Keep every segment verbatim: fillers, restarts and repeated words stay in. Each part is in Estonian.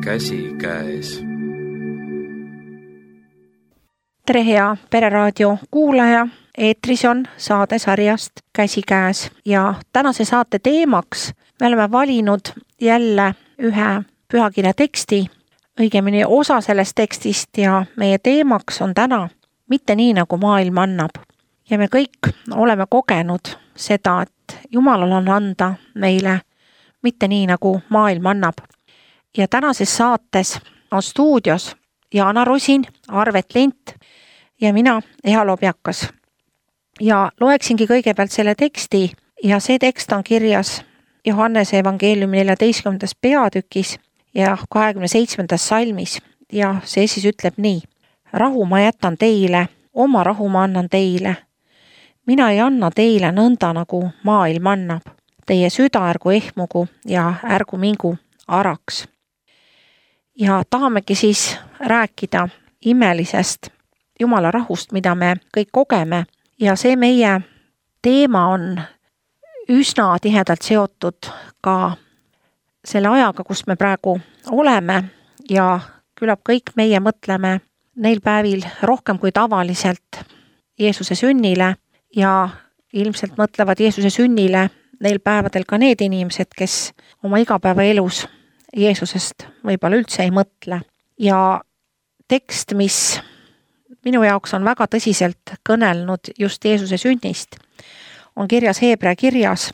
käsikäes. Tere hea Pereraadio kuulaja, eetris on saade sarjast Käsikäes ja tänase saate teemaks me oleme valinud jälle ühe pühakirja teksti, õigemini osa sellest tekstist ja meie teemaks on täna mitte nii, nagu maailm annab. Ja me kõik oleme kogenud seda, et Jumalal on anda meile mitte nii, nagu maailm annab. Ja tänases saates on stuudios Jaana Rosin, Arvet Lint ja mina, Eha Lobjakas. Ja loeksingi kõigepealt selle teksti ja see tekst on kirjas Johannese evangeeliumi neljateistkümnendas peatükis ja kahekümne seitsmendas salmis ja see siis ütleb nii. Rahu ma jätan teile, oma rahu ma annan teile. Mina ei anna teile nõnda, nagu maailm annab. Teie süda ärgu ehmugu ja ärgu mingu araks. Ja tahamegi siis rääkida imelisest Jumala rahust, mida me kõik kogeme. Ja see meie teema on üsna tihedalt seotud ka selle ajaga, kus me praegu oleme ja küllap kõik meie mõtleme neil päevil rohkem kui tavaliselt Jeesuse sünnile ja ilmselt mõtlevad Jeesuse sünnile neil päevadel ka need inimesed, kes oma igapäevaelus Jeesusest võib-olla üldse ei mõtle. Ja tekst, mis minu jaoks on väga tõsiselt kõnelnud just Jeesuse sünnist, on kirjas Heebrea kirjas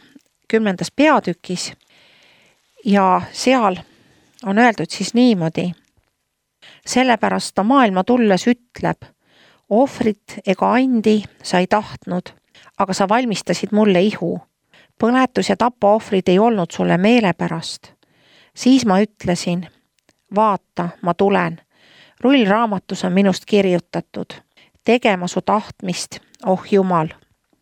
kümnendas peatükis ja seal on öeldud siis niimoodi. Sellepärast ta maailma tulles ütleb, ohvrit ega andi sa ei tahtnud, aga sa valmistasid mulle ihu. Põletus ja tapaohvrid ei olnud sulle meelepärast. Siis ma ütlesin, vaata, ma tulen. Rullraamatus on minust kirjutatud. Tegema su tahtmist, oh Jumal.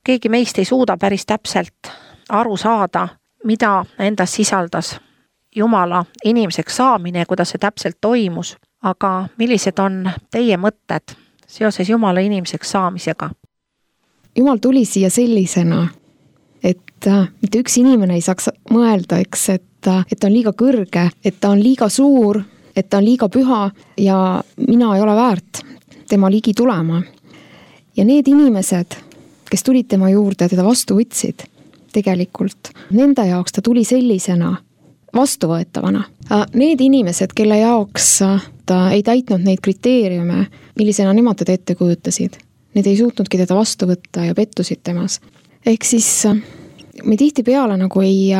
Keegi meist ei suuda päris täpselt aru saada, mida endas sisaldas Jumala inimeseks saamine ja kuidas see täpselt toimus. Aga millised on teie mõtted seoses Jumala inimeseks saamisega? Jumal tuli siia sellisena, et mitte üks inimene ei saaks mõelda, eks, et, et ta on liiga kõrge, et ta on liiga suur, et ta on liiga püha ja mina ei ole väärt tema ligi tulema. Ja need inimesed, kes tulid tema juurde, teda vastu võtsid tegelikult, nende jaoks ta tuli sellisena vastuvõetavana. Need inimesed, kelle jaoks ta ei täitnud neid kriteeriume, millisena nemad teda ette kujutasid, need ei suutnudki teda vastu võtta ja pettusid temas. Ehk siis me tihti peale nagu ei,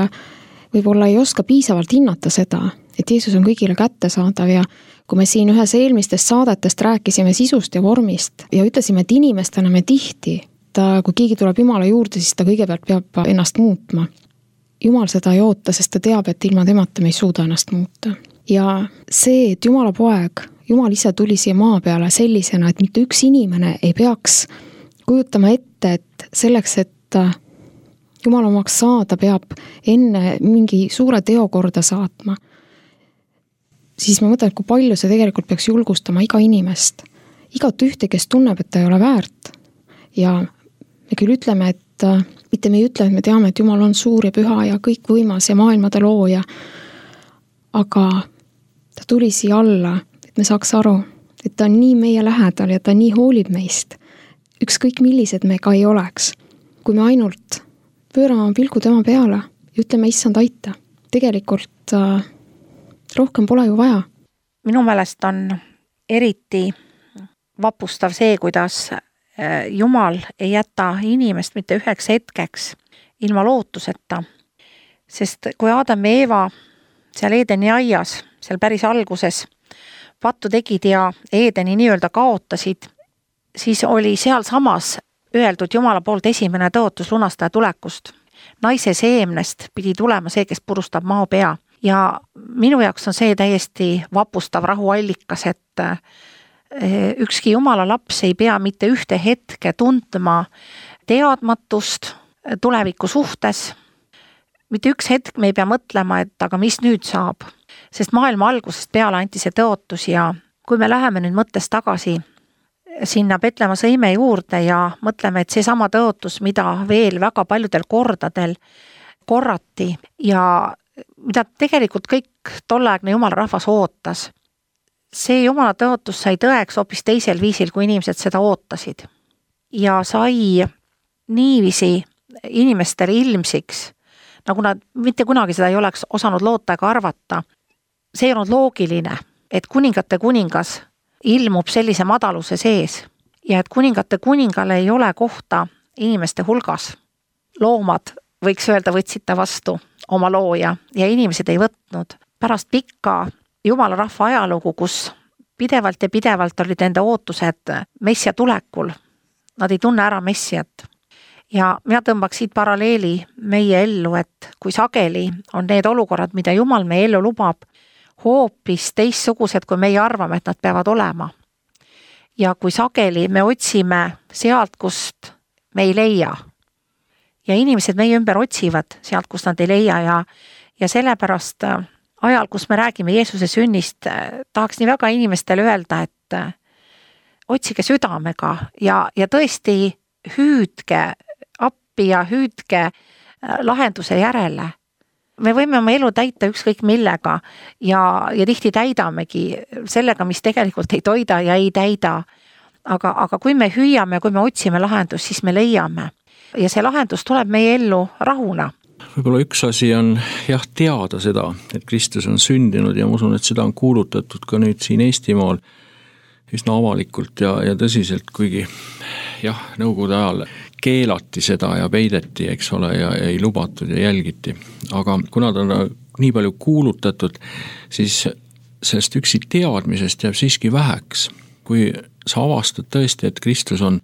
võib-olla ei oska piisavalt hinnata seda, et Jeesus on kõigile kättesaadav ja kui me siin ühes eelmistest saadetest rääkisime sisust ja vormist ja ütlesime, et inimestena me tihti, ta, kui keegi tuleb Jumala juurde, siis ta kõigepealt peab ennast muutma. Jumal seda ei oota, sest ta teab, et ilma temata me ei suuda ennast muuta. Ja see, et Jumala poeg, Jumal ise tuli siia maa peale sellisena, et mitte üks inimene ei peaks kujutama ette, et selleks, et Jumal omaks saada, peab enne mingi suure teo korda saatma. Siis ma mõtlen, et kui palju see tegelikult peaks julgustama iga inimest. Igat ühte, kes tunneb, et ta ei ole väärt. Ja me küll ütleme, et mitte me ei ütle, et me teame, et Jumal on suur ja püha ja kõik võimas ja maailmade looja. Aga ta tuli siia alla, et me saaks aru, et ta on nii meie lähedal ja ta nii hoolib meist. Ükskõik millised me ka ei oleks. Kui me ainult pöörame pilgu tema peale ja ütleme, issand aita. Tegelikult rohkem pole ju vaja. Minu meelest on eriti vapustav see, kuidas Jumal ei jäta inimest mitte üheks hetkeks ilma lootuseta. Sest kui Adam ja Eeva seal Eedeni aias, seal päris alguses pattu tegid ja Eedeni nii-öelda kaotasid, siis oli seal samas öeldud Jumala poolt esimene tõotus lunastaja tulekust. Naise seemnest pidi tulema see, kes purustab maa pea. Ja minu jaoks on see täiesti vapustav rahuallikas, et ükski Jumala laps ei pea mitte ühte hetke tundma teadmatust tuleviku suhtes. Mitte üks hetk me ei pea mõtlema, et aga mis nüüd saab. Sest maailma algusest peale anti see tõotus ja kui me läheme nüüd mõttes tagasi sinna Petlemma sõime juurde ja mõtleme, et see sama tõotus, mida veel väga paljudel kordadel korrati ja mida tegelikult kõik tolleaegne jumala rahvas ootas. See jumala tõotus sai tõeks hoopis teisel viisil, kui inimesed seda ootasid. Ja sai niiviisi inimestele ilmsiks, nagu nad mitte kunagi seda ei oleks osanud loota ega arvata. See ei olnud loogiline, et kuningate kuningas ilmub sellise madaluse sees ja et kuningate kuningale ei ole kohta inimeste hulgas. Loomad, võiks öelda, võtsid ta vastu oma looja ja inimesed ei võtnud. Pärast pikka jumala rahva ajalugu, kus pidevalt ja pidevalt olid enda ootused messia tulekul, nad ei tunne ära messiat. Ja mina tõmbaks siit paralleeli meie ellu, et kui sageli on need olukorrad, mida jumal meie ellu lubab, hoopis teistsugused, kui meie arvame, et nad peavad olema. Ja kui sageli me otsime sealt, kust me ei leia. Ja inimesed meie ümber otsivad sealt, kust nad ei leia ja, ja sellepärast ajal, kus me räägime Jeesuse sünnist, tahaks nii väga inimestele öelda, et otsige südamega ja, ja tõesti hüüdke appi ja hüüdke lahenduse järele. Me võime oma elu täita ükskõik millega ja, ja tihti täidamegi sellega, mis tegelikult ei toida ja ei täida. Aga, aga kui me hüüame, kui me otsime lahendust, siis me leiame. Ja see lahendus tuleb meie ellu rahuna. Võib-olla üks asi on jah teada seda, et Kristus on sündinud ja ma usun, et seda on kuulutatud ka nüüd siin Eestimaal üsna avalikult ja, ja tõsiselt, kuigi jah, nõukogude ajal keelati seda ja peideti, eks ole, ja ei lubatud ja jälgiti. Aga kuna ta on nii palju kuulutatud, siis sellest üksi teadmisest jääb siiski väheks. Kui sa avastad tõesti, et Kristus on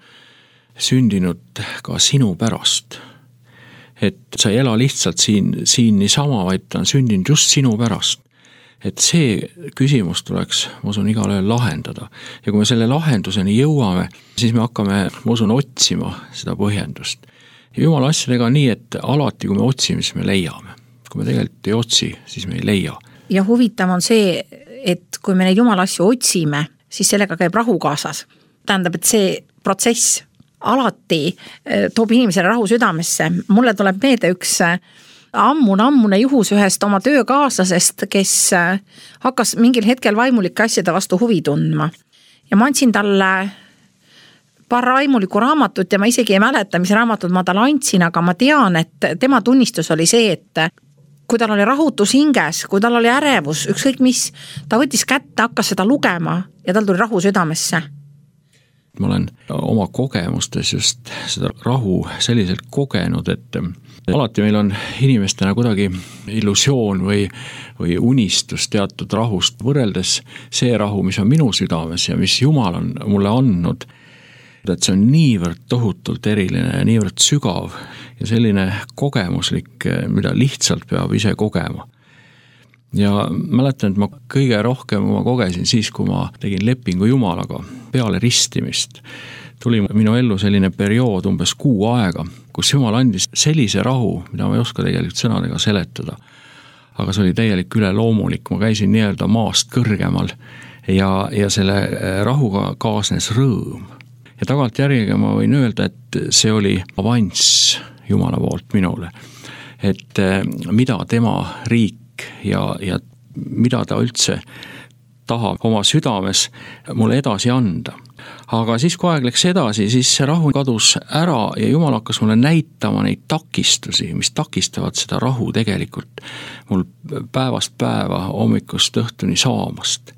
sündinud ka sinu pärast, et sa ei ela lihtsalt siin, siin niisama, vaid ta on sündinud just sinu pärast. Et see küsimus tuleks, ma usun, igal ühel lahendada. Ja kui me selle lahenduseni jõuame, siis me hakkame, ma usun, otsima seda põhjendust. Ja jumala asjadega on nii, et alati, kui me otsime, siis me leiame. Kui me tegelikult ei otsi, siis me ei leia. Ja huvitav on see, et kui me neid jumala asju otsime, siis sellega käib rahu kaasas. Tähendab, et see protsess alati toob inimesele rahu südamesse. Mulle tuleb meelde üks ammune-ammune juhus ühest oma töökaaslasest, kes hakkas mingil hetkel vaimulike asjade vastu huvi tundma. Ja ma andsin talle paar vaimulikku raamatut ja ma isegi ei mäleta, mis raamatud ma talle andsin, aga ma tean, et tema tunnistus oli see, et kui tal oli rahutus hinges, kui tal oli ärevus, ükskõik mis, ta võttis kätte, hakkas seda lugema ja tal tuli rahu südamesse. Ma olen oma kogemustes just seda rahu selliselt kogenud, et alati meil on inimestena kuidagi illusioon või, või unistus teatud rahust võrreldes see rahu, mis on minu südames ja mis Jumal on mulle andnud. Et see on niivõrd tohutult eriline ja niivõrd sügav ja selline kogemuslik, mida lihtsalt peab ise kogema. Ja mäletan, et ma kõige rohkem ma kogesin siis, kui ma tegin lepingu Jumalaga peale ristimist. Tuli minu ellu selline periood umbes kuu aega, kus Jumal andis sellise rahu, mida ma ei oska tegelikult sõnadega seletada. Aga see oli täielik üleloomulik, ma käisin nii-öelda maast kõrgemal ja, ja selle rahuga kaasnes rõõm. Ja tagant järjega ma võin öelda, et see oli avanss Jumala poolt minule. Et mida tema riik ja, ja mida ta üldse tahab oma südames mulle edasi anda. Aga siis, kui aeg läks edasi, siis see rahu kadus ära ja Jumal hakkas mulle näitama neid takistusi, mis takistavad seda rahu tegelikult mul päevast päeva hommikust õhtuni saamast.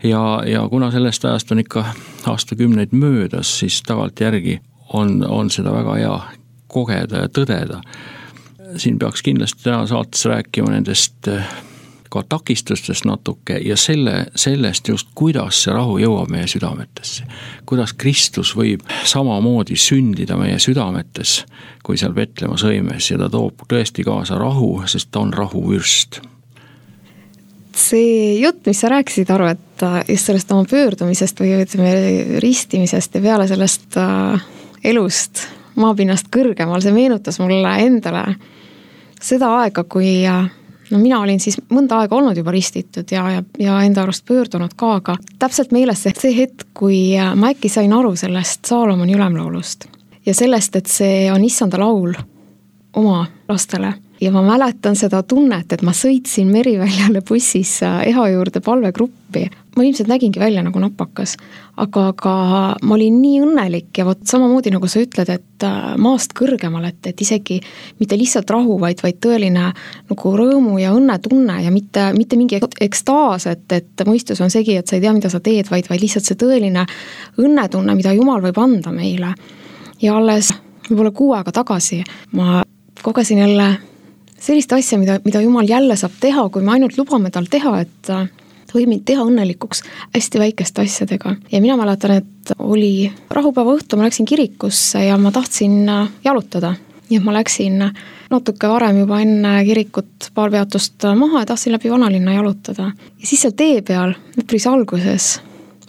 Ja, ja kuna sellest ajast on ikka aastakümneid möödas, siis tagalt järgi on, on seda väga hea kogeda ja tõdeda. Siin peaks kindlasti täna saates rääkima nendest ka takistustest natuke ja selle, sellest just, kuidas see rahu jõuab meie südametesse. Kuidas Kristus võib samamoodi sündida meie südametes, kui seal Betlema sõimes ja ta toob tõesti kaasa rahu, sest ta on rahuvürst. See jutt, mis sa rääkisid, Aru, et just sellest oma pöördumisest või ütleme ristimisest ja peale sellest elust maapinnast kõrgemal, see meenutas mulle endale seda aega, kui no mina olin siis mõnda aega olnud juba ristitud ja, ja, ja enda arust pöördunud ka, aga täpselt meeles see, see hetk, kui ma äkki sain aru sellest Saalomoni ülemlaulust ja sellest, et see on issanda laul oma lastele ja ma mäletan seda tunnet, et ma sõitsin Meriväljale bussis Eha juurde palvegruppi. Ma ilmselt nägingi välja nagu napakas, aga, aga ma olin nii õnnelik ja võt samamoodi nagu sa ütled, et maast kõrgemal, et, et isegi mitte lihtsalt rahu, vaid, vaid tõeline nagu rõõmu ja õnnetunne ja mitte, mitte mingi ekstaas, et, et mõistus on segi, et sa ei tea, mida sa teed, vaid, vaid lihtsalt see tõeline õnnetunne, mida Jumal võib anda meile. Ja alles võib-olla kuu aega tagasi ma kogesin jälle sellist asja, mida, mida Jumal jälle saab teha, kui me ainult lubame tal teha, et võib mind teha õnnelikuks hästi väikeste asjadega. Ja mina mäletan, et oli rahupäeva õhtu, ma läksin kirikusse ja ma tahtsin jalutada. Nii et ma läksin natuke varem juba enne kirikut paar peatust maha ja tahtsin läbi vanalinna jalutada. Ja siis seal tee peal, üpris alguses,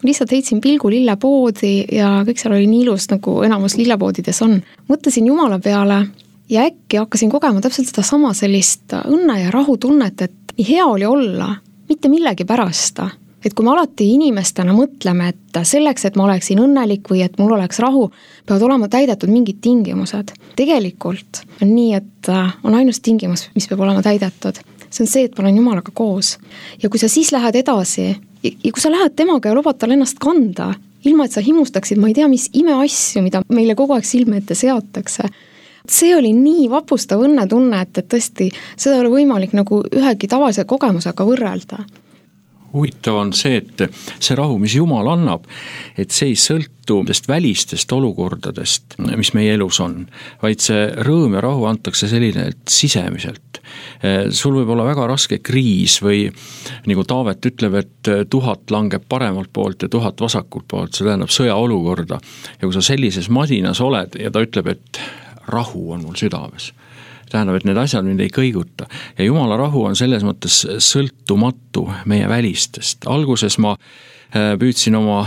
lihtsalt heitsin pilgu lillepoodi ja kõik seal oli nii ilus, nagu enamus lillepoodides on. Mõtlesin Jumala peale ja äkki hakkasin kogema täpselt seda sama sellist õnne ja rahu tunnet, et nii hea oli olla, mitte millegi pärast. Et kui me alati inimestena mõtleme, et selleks, et ma oleksin õnnelik või et mul oleks rahu, peavad olema täidetud mingid tingimused. Tegelikult on nii, et on ainus tingimus, mis peab olema täidetud. See on see, et ma olen Jumalaga koos. Ja kui sa siis lähed edasi ja kui sa lähed temaga ja lubad tal ennast kanda, ilma et sa himustaksid, ma ei tea, mis imeasju, mida meile kogu aeg silme ette seatakse. See oli nii vapustav õnnetunne, et, et tõesti seda oli võimalik nagu ühegi tavalise kogemusega võrrelda. Huvitav on see, et see rahu, mis Jumal annab, et see ei sõltu välistest olukordadest, mis meie elus on, vaid see rõõm ja rahu antakse selline sisemiselt. Sul võib olla väga raske kriis või nagu Taavet ütleb, et tuhat langeb paremalt poolt ja tuhat vasakult poolt, see tähendab sõjaolukorda. Ja kui sa sellises madinas oled ja ta ütleb, et rahu on mul südames. Tähendab, et need asjad mind ei kõiguta. Ja Jumala rahu on selles mõttes sõltumatu meie välistest. Alguses ma püüdsin oma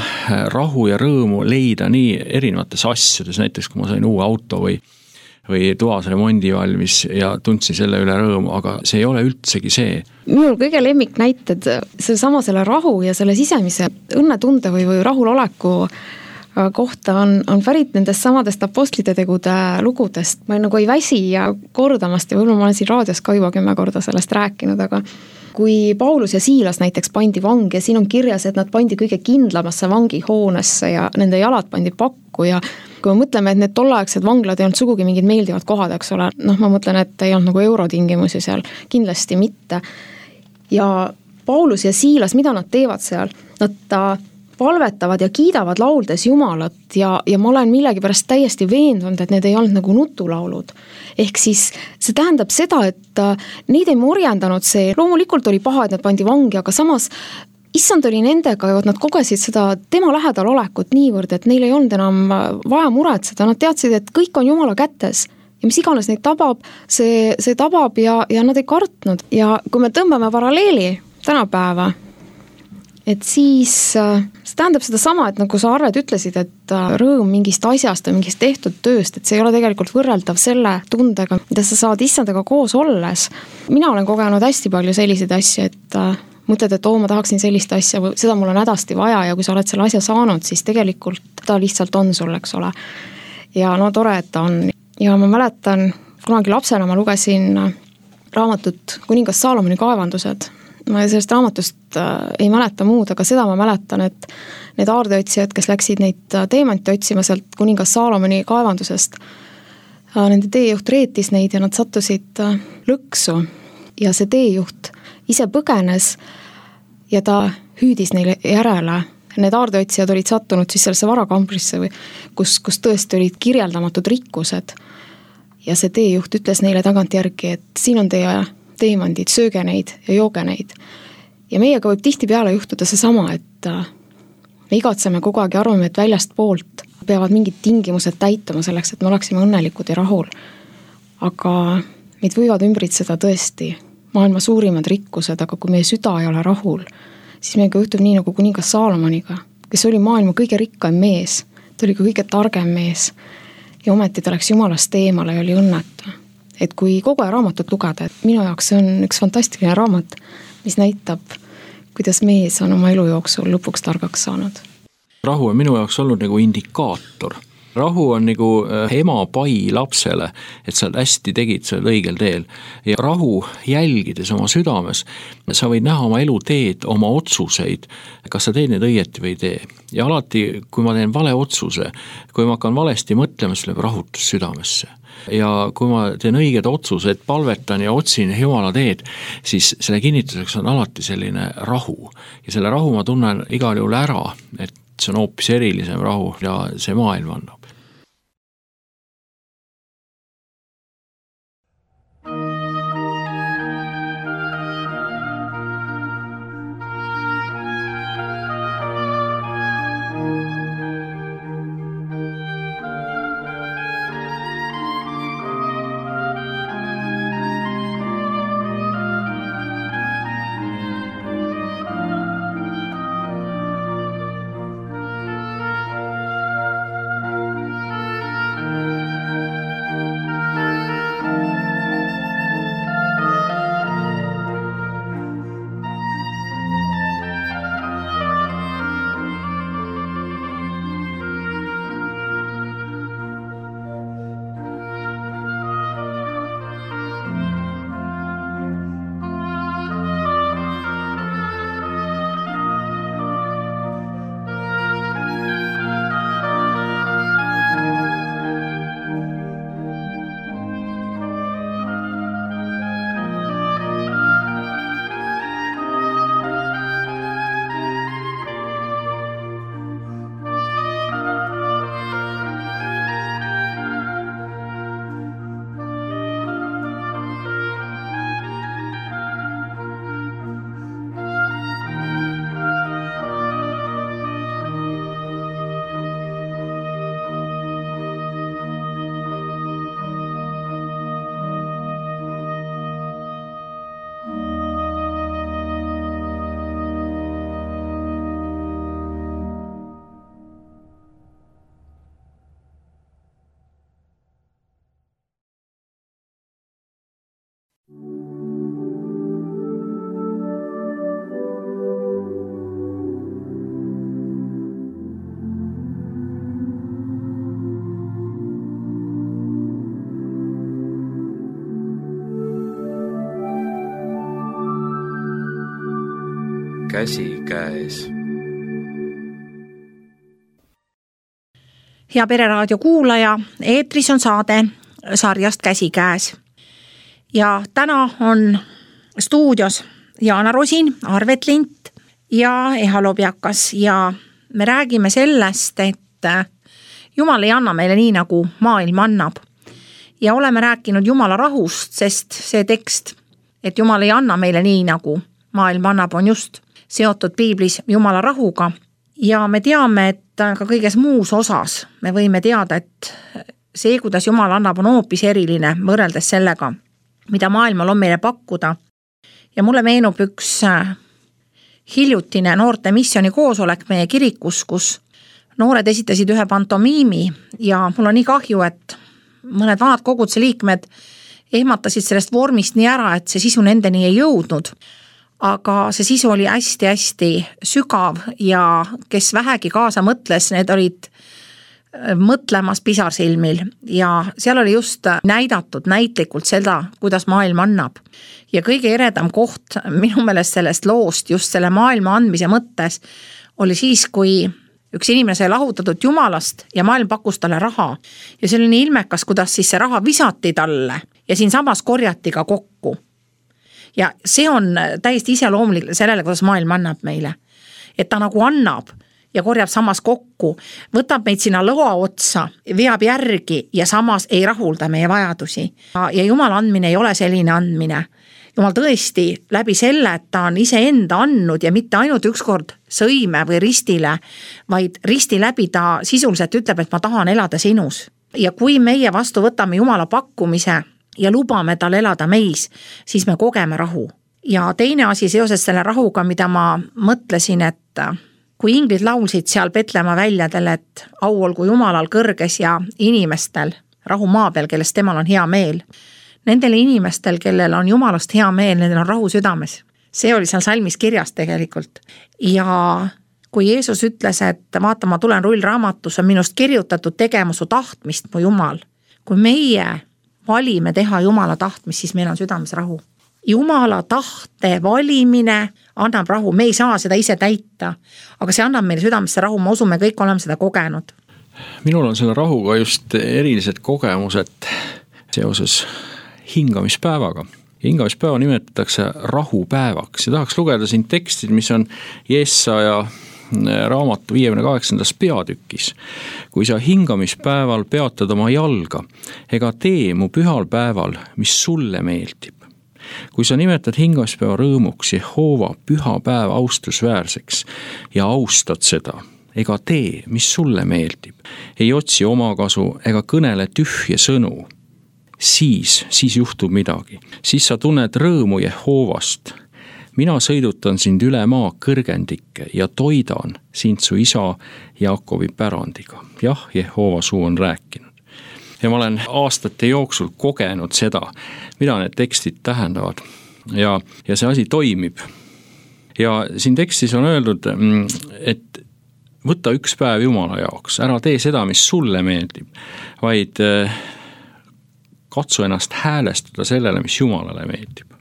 rahu ja rõõmu leida nii erinevates asjades, näiteks kui ma sain uue auto või, või toas remondi valmis ja tundsin selle üle rõõmu, aga see ei ole üldsegi see. Minul kõige lemmik näited selle sama selle rahu ja selle sisemise õnnetunde või, või rahuloleku kohta on, on pärit nendest samadest apostlite tegude lugudest. Ma nagu ei väsi ja kordamast ja võib-olla ma olen siin raadios ka juba kümme korda sellest rääkinud, aga kui Paulus ja Siilas näiteks pandi vangi ja siin on kirjas, et nad pandi kõige kindlamasse vangihoonesse ja nende jalad pandi pakku ja kui me mõtleme, et need tolleaegsed vanglad ei olnud sugugi mingid meeldivad kohad, eks ole, noh ma mõtlen, et ei olnud nagu eurotingimusi seal, kindlasti mitte. Ja Paulus ja Siilas, mida nad teevad seal? Nad ta palvetavad ja kiidavad lauldes Jumalat ja, ja ma olen millegi pärast täiesti veendunud, et need ei olnud nagu nutulaulud. Ehk siis see tähendab seda, et neid ei morjendanud see, loomulikult oli paha, et nad pandi vangi, aga samas issand oli nendega ja nad kogesid seda tema lähedal olekut niivõrd, et neil ei olnud enam vaja muretseda, nad teadsid, et kõik on Jumala kätes ja mis iganes neid tabab, see, see tabab ja, ja nad ei kartnud. Ja kui me tõmbame paralleeli tänapäeva, et siis see tähendab seda sama, et nagu sa Arred ütlesid, et rõõm mingist asjast või mingist tehtud tööst, et see ei ole tegelikult võrreldav selle tundega, mida sa saad issandaga koos olles. Mina olen kogenud hästi palju selliseid asju, et mõtled, et oo, ma tahaksin sellist asja, seda mul on hädasti vaja ja kui sa oled selle asja saanud, siis tegelikult ta lihtsalt on sul, eks ole. Ja no tore, et ta on. Ja ma mäletan, kunagi lapsena ma lugesin raamatut Kuningas Saalomoni kaevandused. Ma sellest raamatust ei mäleta muud, aga seda ma mäletan, et need aardeotsijad, kes läksid neid teemanti otsima sealt Kuningas Saalomoni kaevandusest, nende teejuht reetis neid ja nad sattusid lõksu ja see teejuht ise põgenes ja ta hüüdis neile järele. Need aardeotsijad olid sattunud siis sellesse varakambrisse, kus, kus tõesti olid kirjeldamatud rikkused ja see teejuht ütles neile tagantjärgi, et siin on teie teemandid, sööge neid ja jooge neid. Ja meiega võib tihti peale juhtuda see sama, et me igatseme kogu aeg ja arvame, et väljast poolt peavad mingid tingimused täituma selleks, et me oleksime õnnelikud ja rahul. Aga meid võivad ümbritseda tõesti maailma suurimad rikkused, aga kui meie süda ei ole rahul, siis meiega juhtub nii nagu kuningas Saalomoniga, kes oli maailma kõige rikkaim mees, ta oli ka kõige targem mees ja ometi ta läks Jumalast eemale ja oli õnnetu. Et kui kogu aja raamatut lugeda, et minu jaoks see on üks fantastiline raamat, mis näitab, kuidas mees on oma elu jooksul lõpuks targaks saanud. Rahu on minu jaoks olnud nagu indikaator, rahu on nagu ema pai lapsele, et sa hästi tegid seal õigel teel. Ja rahu jälgides oma südames, sa võid näha oma elu teed, oma otsuseid, kas sa teed need õieti või ei tee. Ja alati, kui ma teen vale otsuse, kui ma hakkan valesti mõtlema, siis läheb rahutus südamesse. Ja kui ma teen õiged otsused, palvetan ja otsin Jumala teed, siis selle kinnituseks on alati selline rahu. Ja selle rahu ma tunnen igal juhul ära, et see on hoopis erilisem rahu ja see maailm annab. Käsikäes. Hea Pereraadio kuulaja, eetris on saade sarjast Käsikäes. Ja täna on stuudios Jaana Rosin, Arvet Lint ja Eha Lobjakas ja me räägime sellest, et Jumal ei anna meile nii, nagu maailm annab. Ja oleme rääkinud Jumala rahust, sest see tekst, et Jumal ei anna meile nii, nagu maailm annab, on just seotud piiblis Jumala rahuga. Ja me teame, et ka kõiges muus osas me võime teada, et see, kuidas Jumal annab, on hoopis eriline võrreldes sellega, mida maailmal on meile pakkuda. Ja mulle meenub üks hiljutine noorte missiooni koosolek meie kirikus, kus noored esitasid ühe pantomiimi ja mul on nii kahju, et mõned vanad koguduse liikmed ehmatasid sellest vormist nii ära, et see sisu nendeni ei jõudnud. Aga see sisu oli hästi-hästi sügav ja kes vähegi kaasa mõtles, need olid mõtlemas pisarsilmil ja seal oli just näidatud näitlikult seda, kuidas maailm annab. Ja kõige eredam koht minu meelest sellest loost just selle maailma andmise mõttes oli siis, kui üks inimene sai lahutatud Jumalast ja maailm pakkus talle raha. Ja see oli nii ilmekas, kuidas siis see raha visati talle ja siin samas korjati ka kokku. Ja see on täiesti iseloomulik sellele, kuidas maailm annab meile. Et ta nagu annab ja korjab samas kokku, võtab meid sinna lõa otsa, veab järgi ja samas ei rahulda meie vajadusi. Ja Jumala andmine ei ole selline andmine. Jumal tõesti läbi selle, et ta on ise enda andnud ja mitte ainult ükskord sõime või ristile, vaid risti läbi ta sisuliselt ütleb, et ma tahan elada sinus. Ja kui meie vastu võtame Jumala pakkumise ja lubame tal elada meis, siis me kogeme rahu. Ja teine asi seoses selle rahuga, mida ma mõtlesin, et kui inglid laulsid seal Betlema väljadel, et au olgu Jumalal kõrges ja inimestel rahu maa peal, kellest temal on hea meel. Nendele inimestel, kellel on Jumalast hea meel, nendel on rahu südames. See oli seal salmis kirjas tegelikult. Ja kui Jeesus ütles, et vaata, ma tulen rullraamatus, on minust kirjutatud tegema su tahtmist, mu Jumal. Kui meie valime teha Jumala tahtmist, siis meil on südames rahu. Jumala tahte valimine annab rahu, me ei saa seda ise täita, aga see annab meile südamesse rahu, ma usun, me kõik oleme seda kogenud. Minul on selle rahuga just erilised kogemused seoses hingamispäevaga. Hingamispäeva nimetatakse rahupäevaks ja tahaks lugeda siin tekstid, mis on Jesaja raamatu viiekümne kaheksandas peatükis. Kui sa hingamispäeval peatad oma jalga, ega tee mu pühal päeval, mis sulle meeldib. Kui sa nimetad hingamispäeva rõõmuks Jehova püha päeva austusväärseks ja austad seda, ega tee, mis sulle meeldib, ei otsi omakasu ega kõnele tühje sõnu, siis, siis juhtub midagi. Siis sa tunned rõõmu Jehovast. Mina sõidutan sind üle maa kõrgendikke ja toidan sind su isa Jaakobi pärandiga. Jah, Jehova suu on rääkinud. Ja ma olen aastate jooksul kogenud seda, mida need tekstid tähendavad ja, ja see asi toimib. Ja siin tekstis on öeldud, et võta üks päev Jumala jaoks, ära tee seda, mis sulle meeldib, vaid katsu ennast häälestada sellele, mis Jumalale meeldib.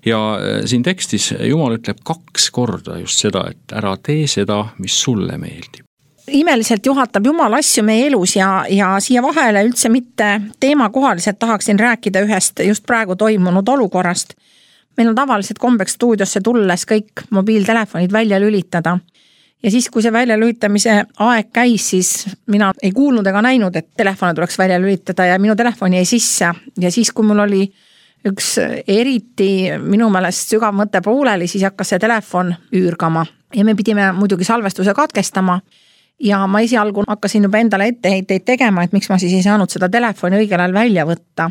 Ja siin tekstis Jumal ütleb kaks korda just seda, et ära tee seda, mis sulle meeldib. Imeliselt juhatab Jumal asju meie elus ja, ja siia vahele üldse mitte teema kohaliselt tahaksin rääkida ühest just praegu toimunud olukorrast. Meil on tavaliselt kombeks stuudiosse tulles kõik mobiiltelefonid välja lülitada. Ja siis, kui see välja lülitamise aeg käis, siis mina ei kuulnud ega näinud, et telefone tuleks välja lülitada ja minu telefoni jäi sisse. Ja siis, kui mul oli üks eriti minu meelest sügav mõte pooleli, siis hakkas see telefon üürgama. Ja me pidime muidugi salvestuse katkestama. Ja ma esialgu hakkasin juba endale etteheiteid tegema, et miks ma siis ei saanud seda telefoni õigel ajal välja võtta.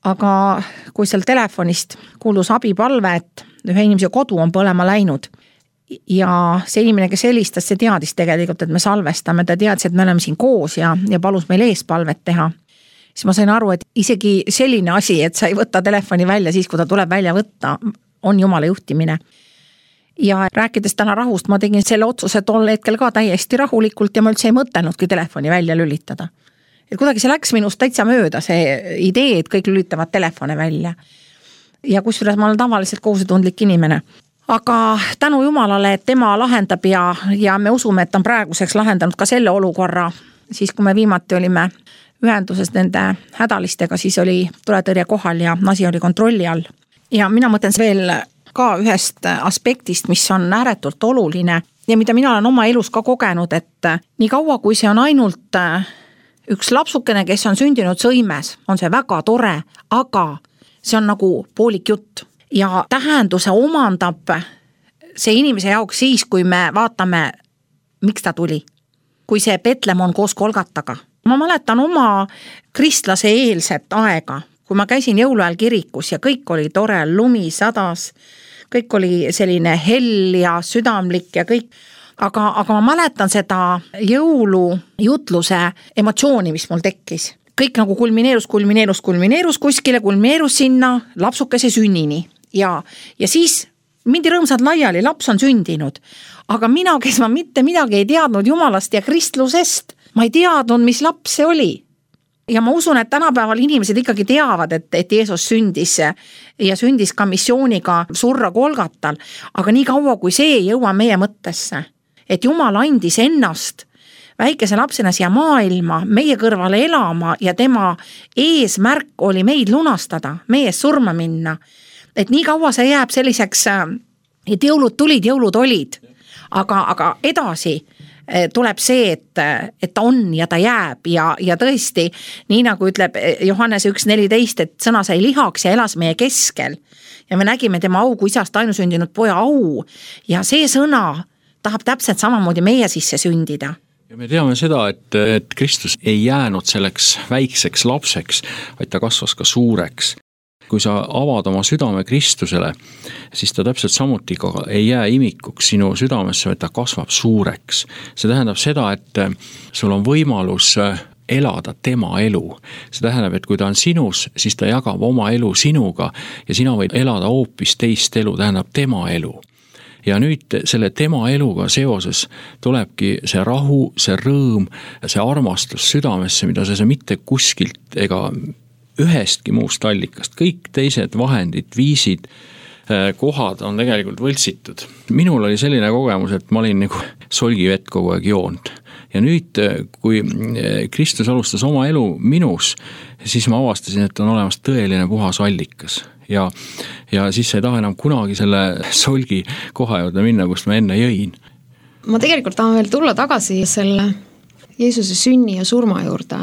Aga kui seal telefonist kuulus abipalve, et ühe inimese kodu on põlema läinud ja see inimene, kes helistas, see teadis tegelikult, et me salvestame, ta teadis, et me oleme siin koos ja, ja palus meil eespalvet teha. Siis ma sain aru, et isegi selline asi, et sa ei võtta telefoni välja siis, kui ta tuleb välja võtta, on Jumala juhtimine. Ja rääkides täna rahust, ma tegin selle otsuse tol hetkel ka täiesti rahulikult ja ma üldse ei mõtelnudki telefoni välja lülitada. Et kuidagi see läks minust täitsa mööda, see idee, et kõik lülitavad telefone välja. Ja kusjuures ma olen tavaliselt kohusetundlik inimene. Aga tänu Jumalale, et tema lahendab ja, ja me usume, et on praeguseks lahendanud ka selle olukorra, siis kui me viimati olime ühenduses nende hädalistega, siis oli tuletõrje kohal ja asi oli kontrolli all. Ja mina mõtlen veel ka ühest aspektist, mis on ääretult oluline ja mida mina olen oma elus ka kogenud, et nii kaua, kui see on ainult üks lapsukene, kes on sündinud sõimes, on see väga tore, aga see on nagu poolik jutt ja tähenduse omandab see inimese jaoks siis, kui me vaatame, miks ta tuli. Kui see Petlemon koos Kolgataga. Ma mäletan oma kristlase eelset aega, kui ma käisin jõuluajal kirikus ja kõik oli tore, lumi sadas, kõik oli selline hell ja südamlik ja kõik, aga, aga ma mäletan seda jõulujutluse emotsiooni, mis mul tekkis. Kõik nagu kulmineerus, kulmineerus, kulmineerus kuskile, kulmineerus sinna lapsukese sünnini ja, ja siis mindi rõõmsad laiali, laps on sündinud, aga mina, kes ma mitte midagi ei teadnud Jumalast ja kristlusest, ma ei teadnud, mis laps see oli. Ja ma usun, et tänapäeval inimesed ikkagi teavad, et, et Jeesus sündis ja sündis ka missiooniga surra Kolgatal, aga nii kaua, kui see ei jõua meie mõttesse, et Jumal andis ennast väikese lapsena siia maailma, meie kõrvale elama ja tema eesmärk oli meid lunastada, meie surma minna, et nii kaua see jääb selliseks, et jõulud tulid, jõulud olid, aga, aga edasi tuleb see, et, et ta on ja ta jääb ja, ja tõesti, nii nagu ütleb Johannese üks neliteist, et sõna sai lihaks ja elas meie keskel ja me nägime tema au kui isast ainusündinud poja au ja see sõna tahab täpselt samamoodi meie sisse sündida. Ja me teame seda, et, et Kristus ei jäänud selleks väikseks lapseks, vaid ta kasvas ka suureks. Kui sa avad oma südame Kristusele, siis ta täpselt samuti ka ei jää imikuks sinu südamesse, vaid ta kasvab suureks. See tähendab seda, et sul on võimalus elada tema elu. See tähendab, et kui ta on sinus, siis ta jagab oma elu sinuga ja sina võid elada hoopis teist elu, tähendab tema elu. ja nüüd selle tema eluga seoses tulebki see rahu, see rõõm, see armastus südamesse, mida sa mitte kuskilt ega ühestki muust allikast, kõik teised vahendid, viisid, kohad on tegelikult võltsitud. Minul oli selline kogemus, et ma olin nagu solgivett kogu aeg joonud. Ja nüüd, kui Kristus alustas oma elu minus, siis ma avastasin, et on olemas tõeline puhas allikas. Ja, ja siis ei taha enam kunagi selle solgi koha juurde minna, kust ma enne jõin. Ma tegelikult tahan veel tulla tagasi selle Jeesuse sünni ja surma juurde.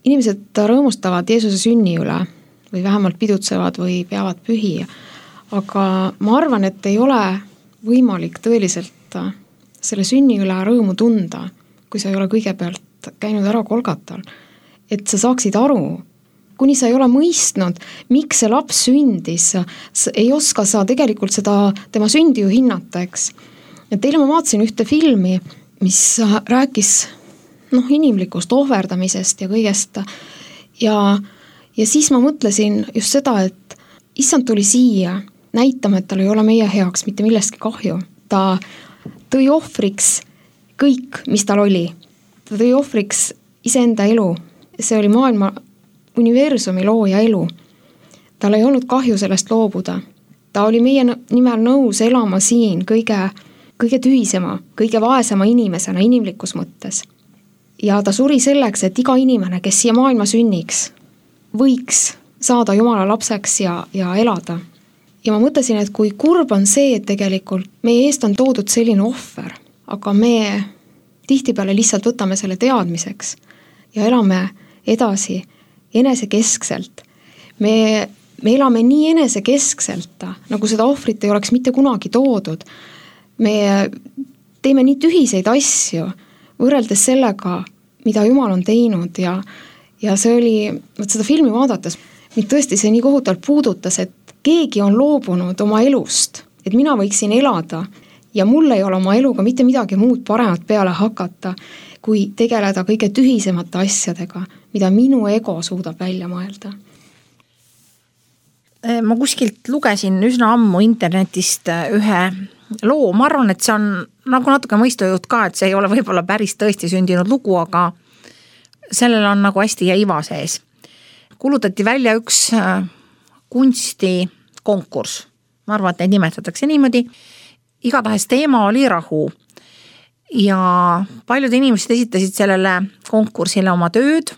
Inimesed rõõmustavad Jeesuse sünni üle või vähemalt pidutsevad või peavad pühi. Aga ma arvan, et ei ole võimalik tõeliselt selle sünni üle rõõmu tunda, kui sa ei ole kõigepealt käinud ära Golgatal. Et sa saaksid aru, kuni sa ei ole mõistnud, miks see laps sündis, ei oska sa tegelikult seda tema sündi ju hinnata, eks. Ja teile ma vaatasin ühte filmi, mis rääkis noh, inimlikust ohverdamisest ja kõigest. Ja, ja siis ma mõtlesin just seda, et issand tuli siia näitama, et tal ei ole meie heaks mitte millestki kahju. Ta tõi ohvriks kõik, mis tal oli. Ta tõi ohvriks iseenda elu. See oli maailma universumi looja elu. Tal ei olnud kahju sellest loobuda. Ta oli meie nimel nõus elama siin kõige, kõige tühisema, kõige vaesema inimesena inimlikus mõttes. Ja ta suri selleks, et iga inimene, kes siia maailma sünniks, võiks saada Jumala lapseks ja, ja elada. Ja ma mõtlesin, et kui kurb on see, et tegelikult meie eest on toodud selline ohver, aga me tihtipeale lihtsalt võtame selle teadmiseks ja elame edasi enesekeskselt. Me, me elame nii enesekeskselt, nagu seda ohvrit ei oleks mitte kunagi toodud. Me teeme nii tühiseid asju, võrreldes sellega, mida Jumal on teinud ja, ja see oli, võt seda filmi vaadates, mind tõesti see nii kohutavalt puudutas, et keegi on loobunud oma elust, et mina võiksin elada ja mul ei ole oma eluga mitte midagi muud paremat peale hakata, kui tegeleda kõige tühisemate asjadega, mida minu ego suudab välja mõelda. Ma kuskilt lugesin üsna ammu internetist ühe loo, ma arvan, et see on nagu natuke mõistujuht ka, et see ei ole võib-olla päris tõesti sündinud lugu, aga sellel on nagu hästi jäiva sees. Kulutati välja üks kunstikonkurss. Ma arvan, et neid nimetatakse niimoodi. Igatahes teema oli rahu. Ja paljud inimesed esitasid sellele konkursile oma tööd.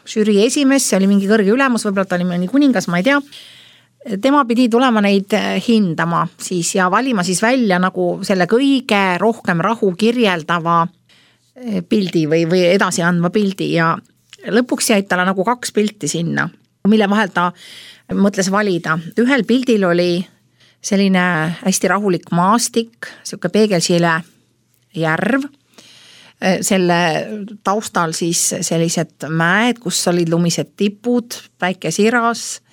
Žürii esimees, see oli mingi kõrge ülemus, võib-olla ta oli mõni kuningas, ma ei tea. Tema pidi tulema neid hindama siis ja valima siis välja nagu selle kõige rohkem rahu kirjeldava pildi või, või edasi andma pildi ja lõpuks jäid talle nagu kaks pilti sinna, mille vahel ta mõtles valida. Ühel pildil oli selline hästi rahulik maastik, siuke peegelsile järv, selle taustal siis sellised mäed, kus olid lumised tipud, päike siras,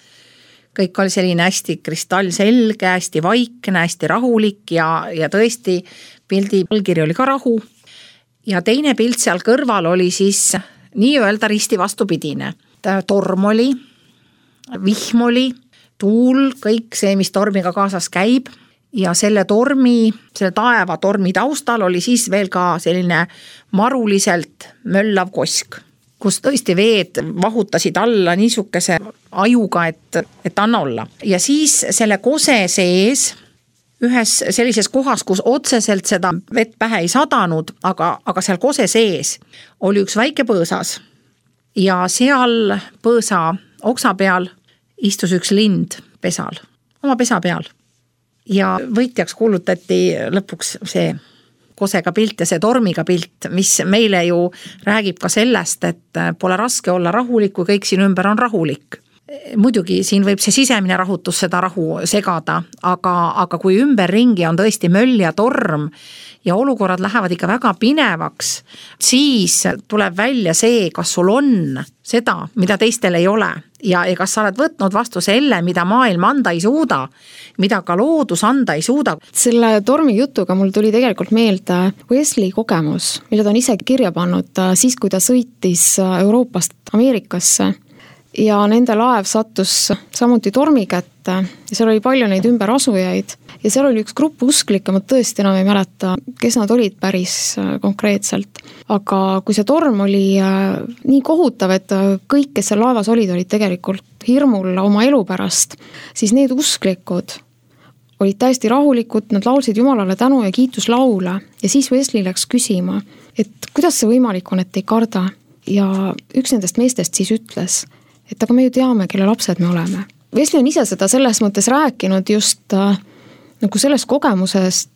kõik oli selline hästi kristallselge, hästi vaikne, hästi rahulik ja, ja tõesti pildi allkiri oli ka rahu. Ja teine pilt seal kõrval oli siis nii-öelda risti vastupidine. Torm oli, vihm oli, tuul, kõik see, mis tormiga kaasas käib ja selle tormi, selle taeva tormi taustal oli siis veel ka selline maruliselt möllav kosk, kus tõesti veed vahutasid alla niisuguse ajuga, et, et anna olla. Ja siis selle kose sees, ühes sellises kohas, kus otseselt seda vett pähe ei sadanud, aga, aga seal kose sees oli üks väike põõsas ja seal põõsa oksa peal istus üks lind pesal, oma pesa peal. Ja võitjaks kuulutati lõpuks see kosega pilt ja see tormiga pilt, mis meile ju räägib ka sellest, et pole raske olla rahulik, kui kõik siin ümber on rahulik. Muidugi siin võib see sisemine rahutus seda rahu segada, aga, aga kui ümberringi on tõesti möll ja torm ja olukorrad lähevad ikka väga pinevaks, siis tuleb välja see, kas sul on seda, mida teistel ei ole ja, ja kas sa oled võtnud vastu selle, mida maailm anda ei suuda, mida ka loodus anda ei suuda. Selle tormi jutuga mul tuli tegelikult meelde Wesley kogemus, mille ta on ise kirja pannud siis, kui ta sõitis Euroopast Ameerikasse. ja nende laev sattus samuti tormi kätte ja seal oli palju neid ümberasujaid ja seal oli üks grupp usklikke, ma tõesti enam ei mäleta, kes nad olid päris konkreetselt. Aga kui see torm oli nii kohutav, et kõik, kes seal laevas olid, olid tegelikult hirmul oma elu pärast, siis need usklikud olid täiesti rahulikud, nad laulsid Jumalale tänu ja kiituslaule ja siis Wesley läks küsima, et kuidas see võimalik on, et ei karda. Ja üks nendest meestest siis ütles, et aga me ju teame, kelle lapsed me oleme. Wesley on ise seda selles mõttes rääkinud just äh, nagu sellest kogemusest,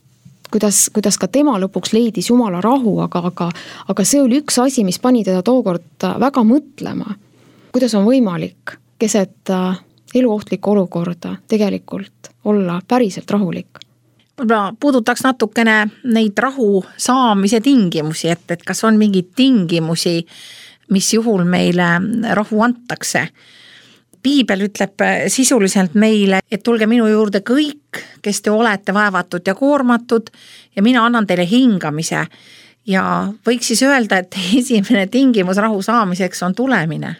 kuidas, kuidas ka tema lõpuks leidis Jumala rahu, aga, aga, aga see oli üks asi, mis pani teda tookord väga mõtlema. Kuidas on võimalik keset äh, eluohtlikku olukorda tegelikult olla päriselt rahulik? Ma puudutaks natukene neid rahu saamise tingimusi, et, et kas on mingeid tingimusi, mis juhul meile rahu antakse. Piibel ütleb sisuliselt meile, et tulge minu juurde kõik, kes te olete vaevatud ja koormatud ja mina annan teile hingamise. Ja võiks siis öelda, et esimene tingimus rahu saamiseks on tulemine.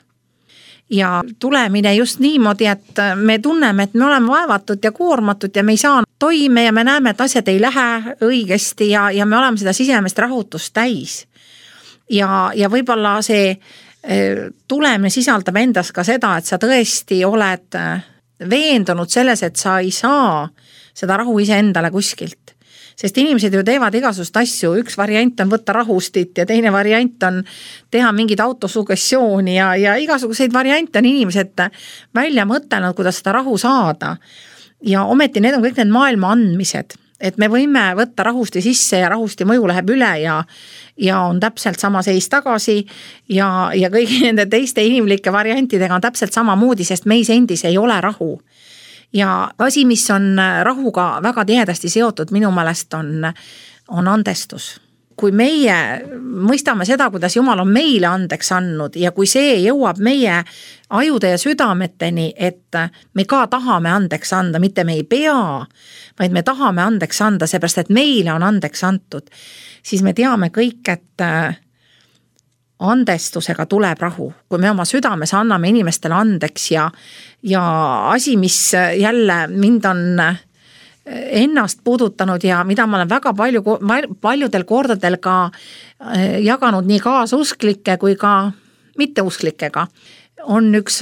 Ja tulemine just niimoodi, et me tunneme, et me oleme vaevatud ja koormatud ja me ei saa toime ja me näeme, et asjad ei lähe õigesti ja, ja me oleme seda sisemest rahutust täis. Ja, ja võib-olla see tulemine sisaldab endas ka seda, et sa tõesti oled veendunud selles, et sa ei saa seda rahu ise endale kuskilt. Sest inimesed ju teevad igasugust asju, üks variant on võtta rahustit ja teine variant on teha mingid autosugessiooni ja, ja igasuguseid variante on inimesed välja mõtelnud, kuidas seda rahu saada. Ja ometi need on kõik need maailma andmised, et me võime võtta rahusti sisse ja rahusti mõju läheb üle ja, ja on täpselt sama seis tagasi ja, ja kõigi nende teiste inimlike variantidega on täpselt sama moodi, sest meis endis ei ole rahu. Ja asi, mis on rahuga väga tihedasti seotud, minu meelest on, on andestus. Kui meie mõistame seda, kuidas Jumal on meile andeks andnud ja kui see jõuab meie ajude ja südameteni, et me ka tahame andeks anda, mitte me ei pea, vaid me tahame andeks anda, seepärast, et meile on andeks antud, siis me teame kõik, et andestusega tuleb rahu. Kui me oma südames anname inimestele andeks ja, ja asi, mis jälle mind on ennast puudutanud ja mida ma olen väga palju, paljudel kordadel ka jaganud nii kaasusklikke kui ka mitteusklikega, on üks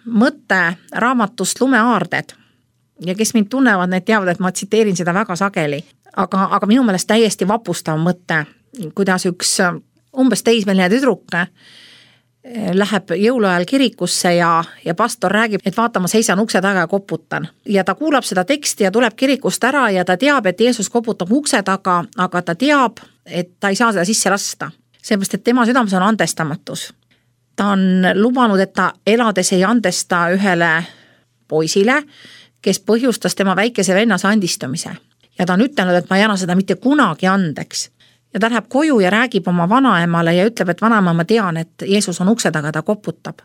mõte raamatust Lumeaarded. Ja kes mind tunnevad, need teavad, et ma tsiteerin seda väga sageli. Aga, aga minu meelest täiesti vapustav mõte, kuidas üks umbes teismeline tüdruk läheb jõuluajal kirikusse ja, ja pastor räägib, et vaata, ma seisan ukse taga ja koputan. Ja ta kuulab seda teksti ja tuleb kirikust ära ja ta teab, et Jeesus koputab ukse taga, aga ta teab, et ta ei saa seda sisse lasta. Seepärast, et tema südames on andestamatus. Ta on lubanud, et ta elades ei andesta ühele poisile, kes põhjustas tema väikese vennas andistumise. Ja ta on ütelnud, et ma ei anna seda mitte kunagi andeks. Ja ta läheb koju ja räägib oma vanaemale ja ütleb, et vanaema, ma tean, et Jeesus on ukse taga, ta koputab.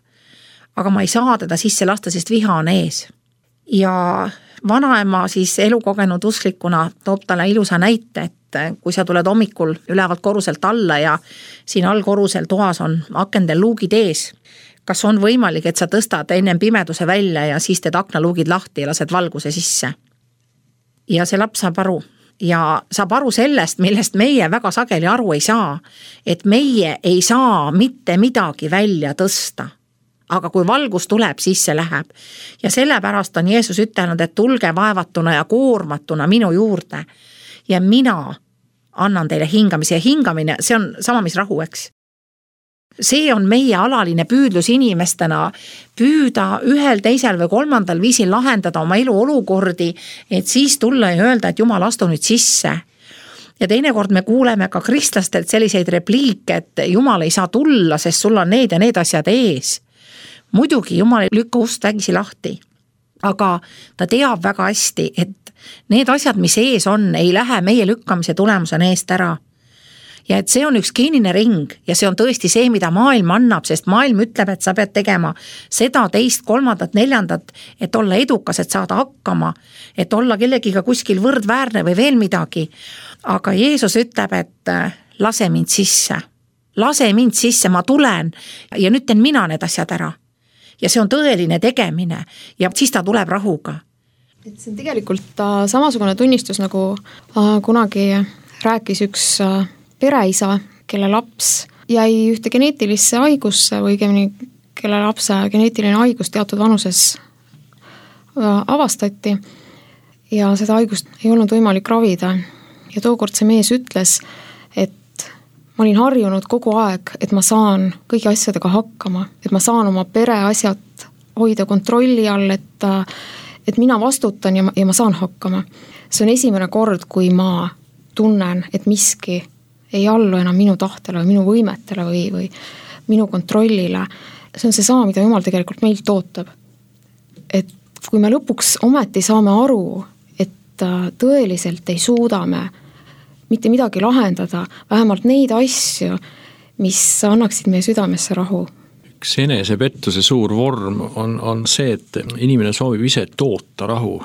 Aga ma ei saa teda sisse lasta, sest viha on ees. Ja vanaema siis elukogenud usklikuna toob talle ilusa näite, et kui sa tuled hommikul ülevalt koruselt alla ja siin all korusel toas on akendel luugid ees, kas on võimalik, et sa tõstad ennem pimeduse välja ja siis teed aknaluugid lahti ja lased valguse sisse. Ja see laps saab aru. Ja saab aru sellest, millest meie väga sageli aru ei saa, et meie ei saa mitte midagi välja tõsta. Aga kui valgus tuleb, siis see läheb. Ja sellepärast on Jeesus ütelnud, et tulge vaevatuna ja koormatuna minu juurde. Ja mina annan teile hingamise ja hingamine, see on sama, mis rahu, eks. See on meie alaline püüdlus inimestena püüda ühel, teisel või kolmandal viisil lahendada oma elu olukordi, et siis tulla ja öelda, et Jumal, astu nüüd sisse. Ja teinekord me kuuleme ka kristlastelt selliseid repliike, et Jumal ei saa tulla, sest sul on need ja need asjad ees. Muidugi Jumal ei lükka ust vägisi lahti, aga ta teab väga hästi, et need asjad, mis ees on, ei lähe meie lükkamise tulemusena eest ära. Ja et see on üks geenine ring ja see on tõesti see, mida maailm annab, sest maailm ütleb, et sa pead tegema seda, teist, kolmandat, neljandat, et olla edukas, et saada hakkama, et olla kellegiga kuskil võrdväärne või veel midagi. Aga Jeesus ütleb, et lase mind sisse, lase mind sisse, ma tulen ja nüüd teen mina need asjad ära. ja see on tõeline tegemine ja siis ta tuleb rahuga. et see on tegelikult äh, samasugune tunnistus, nagu äh, kunagi rääkis üks äh, pereisa, kelle laps jäi ühte geneetilisse haigusse või õigemini kelle lapse geneetiline haigus teatud vanuses äh, avastati ja seda haigust ei olnud võimalik ravida. Ja tookord see mees ütles, et ma olin harjunud kogu aeg, et ma saan kõigi asjadega hakkama, et ma saan oma pere asjad hoida kontrolli all, et, et mina vastutan ja ma, ja ma saan hakkama. See on esimene kord, kui ma tunnen, et miski ei allu enam minu tahtele või minu võimetele või, või minu kontrollile. See on see sama, mida Jumal tegelikult meilt ootab. Et kui me lõpuks ometi saame aru, et tõeliselt ei suuda me mitte midagi lahendada, vähemalt neid asju, mis annaksid meie südamesse rahu. Üks enesepettuse suur vorm on, on see, et inimene soovib ise toota rahu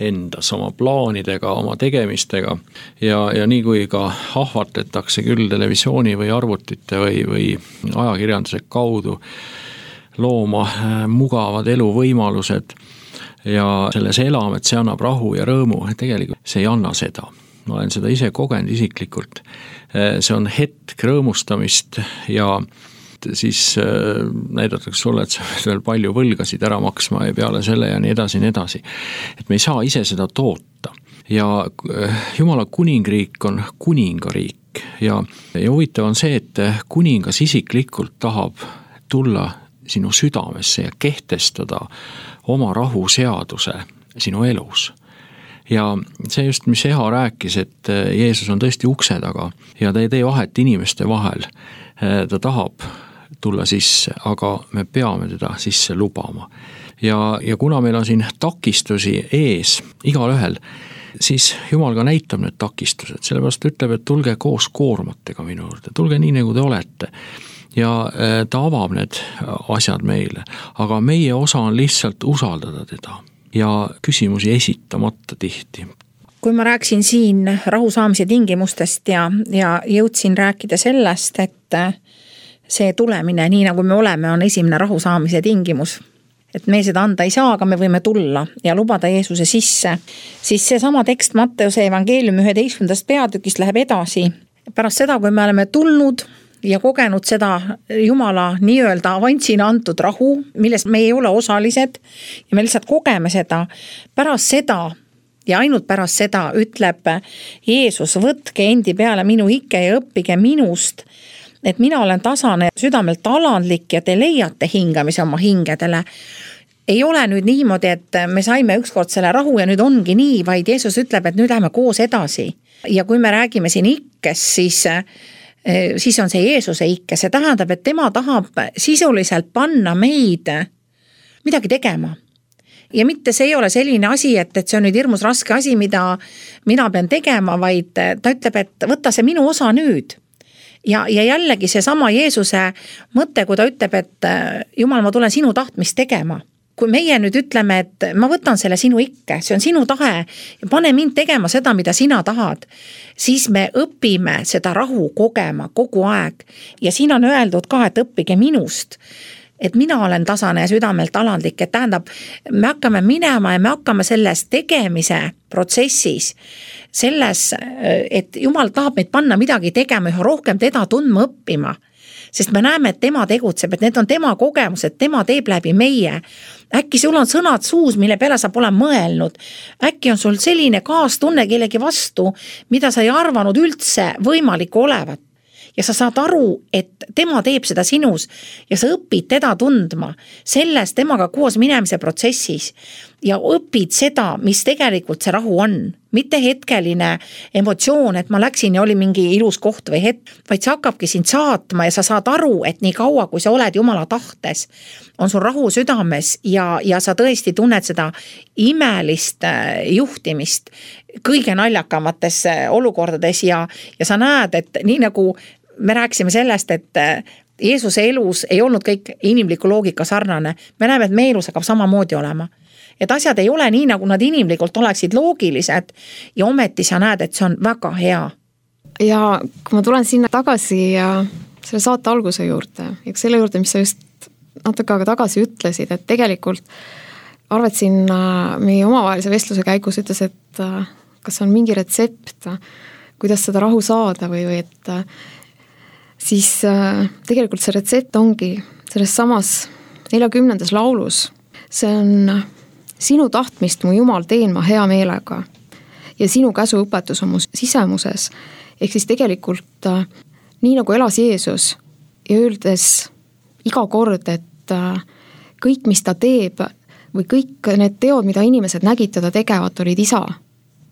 endas oma plaanidega, oma tegemistega ja, ja nii kui ka ahvatletakse küll televisiooni või arvutite või, või ajakirjanduse kaudu looma mugavad eluvõimalused ja selles elame, et see annab rahu ja rõõmu, tegelikult see ei anna seda. Ma olen seda ise kogenud isiklikult. See on hetk rõõmustamist ja siis näidatakse sulle, et sa veel palju võlgasid ära maksma ja peale selle ja nii edasi, nii edasi. Et me ei saa ise seda toota. Ja Jumala kuningriik on kuningariik ja, ja huvitav on see, et kuningas isiklikult tahab tulla sinu südamesse ja kehtestada oma rahuseaduse sinu elus. Ja see just, mis Eha rääkis, et Jeesus on tõesti ukse taga ja ta ei tee vahet inimeste vahel. Ta tahab tulla sisse, aga me peame teda sisse lubama. Ja, ja kuna meil on siin takistusi ees igal ühel, siis Jumal ka näitab need takistused. Sellepärast ütleb, et tulge koos koormatega minu juurde, tulge nii, nagu te olete. Ja ta avab need asjad meile, aga meie osa on lihtsalt usaldada teda. Ja küsimusi esitamata tihti. Kui ma rääksin siin rahu saamise tingimustest ja, ja jõudsin rääkida sellest, et see tulemine, nii nagu me oleme, on esimene rahu saamise tingimus. Et me seda anda ei saa, aga me võime tulla ja lubada Jeesuse sisse. Siis see sama tekst Matteuse evangeeliumi üheteistkümnendast peatükist läheb edasi. Pärast seda, kui me oleme tulnud ja kogenud seda Jumala nii-öelda avantsina antud rahu, milles me ei ole osalised ja me lihtsalt kogeme seda. Pärast seda ja ainult pärast seda ütleb Jeesus, võtke endi peale minu ikke ja õppige minust, et mina olen tasane südamelt alandlik ja te leiate hingamise oma hingedele. Ei ole nüüd niimoodi, et me saime ükskord selle rahu ja nüüd ongi nii, vaid Jeesus ütleb, et nüüd läheme koos edasi. Ja kui me räägime siin ikkes, siis siis on see Jeesuse ikke, see tähendab, et tema tahab sisuliselt panna meid midagi tegema. Ja mitte see ei ole selline asi, et, et see on nüüd hirmus raske asi, mida mina pean tegema, vaid ta ütleb, et võta see minu osa nüüd. Ja, ja jällegi see sama Jeesuse mõte, kui ta ütleb, et Jumal, ma tulen sinu tahtmist tegema. Kui meie nüüd ütleme, et ma võtan selle sinu ikke, see on sinu tahe ja pane mind tegema seda, mida sina tahad, siis me õpime seda rahu kogema kogu aeg. Ja siin on öeldud ka, et õppige minust, et mina olen tasane ja südamelt alandlik, et tähendab, me hakkame minema ja me hakkame selles tegemise protsessis, selles, et Jumal tahab meid panna midagi tegema, üha rohkem teda tundma õppima. Sest me näeme, et tema tegutseb, et need on tema kogemused, tema teeb läbi meie. Äkki sul on sõnad suus, mille peale sa pole mõelnud. Äkki on sul selline kaastunne kellegi vastu, mida sa ei arvanud üldse võimalik olevat. Ja sa saad aru, et tema teeb seda sinus ja sa õpid teda tundma selles temaga koos minemise protsessis ja õpid seda, mis tegelikult see rahu on. Mitte hetkeline emotsioon, et ma läksin ja oli mingi ilus koht või hetk, vaid see hakkabki sind saatma ja sa saad aru, et nii kaua, kui sa oled Jumala tahtes, on sul rahu südames ja, ja sa tõesti tunned seda imelist juhtimist kõige naljakamates olukordades ja, ja sa näed, et nii nagu me rääkisime sellest, et Jeesuse elus ei olnud kõik inimliku loogika sarnane. Me näeme, et meie elus hakkab samamoodi olema. Et asjad ei ole nii, nagu nad inimlikult oleksid loogilised ja ometi sa näed, et see on väga hea. Ja kui ma tulen sinna tagasi ja selle saate alguse juurde ja selle juurde, mis sa just natuke aega tagasi ütlesid, et tegelikult Arvet siin meie omavahelise vestluse käigus ütles, et kas on mingi retsept, kuidas seda rahu saada või, või et siis tegelikult see retsept ongi selles samas neljakümnendas laulus. See on sinu tahtmist, mu Jumal, teen ma hea meelega ja sinu käsuõpetus on mu sisemuses. Ehk siis tegelikult nii nagu elas Jeesus ja öeldes iga kord, et kõik, mis ta teeb või kõik need teod, mida inimesed nägid teda tegevat, olid isa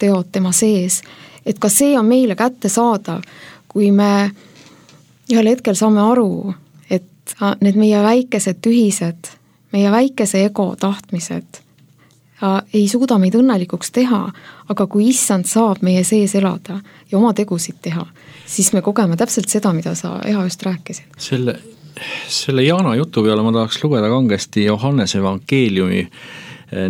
teod tema sees. Et ka see on meile kätte saadav, kui me ühel hetkel saame aru, et need meie väikesed tühised, meie väikese ego tahtmised ei suuda meid õnnelikuks teha, aga kui issand saab meie sees elada ja oma tegusid teha, siis me kogeme täpselt seda, mida sa Eha just rääkisid. Selle, selle Jaana jutu peale ma tahaks lugeda kangesti Johannese evangeeliumi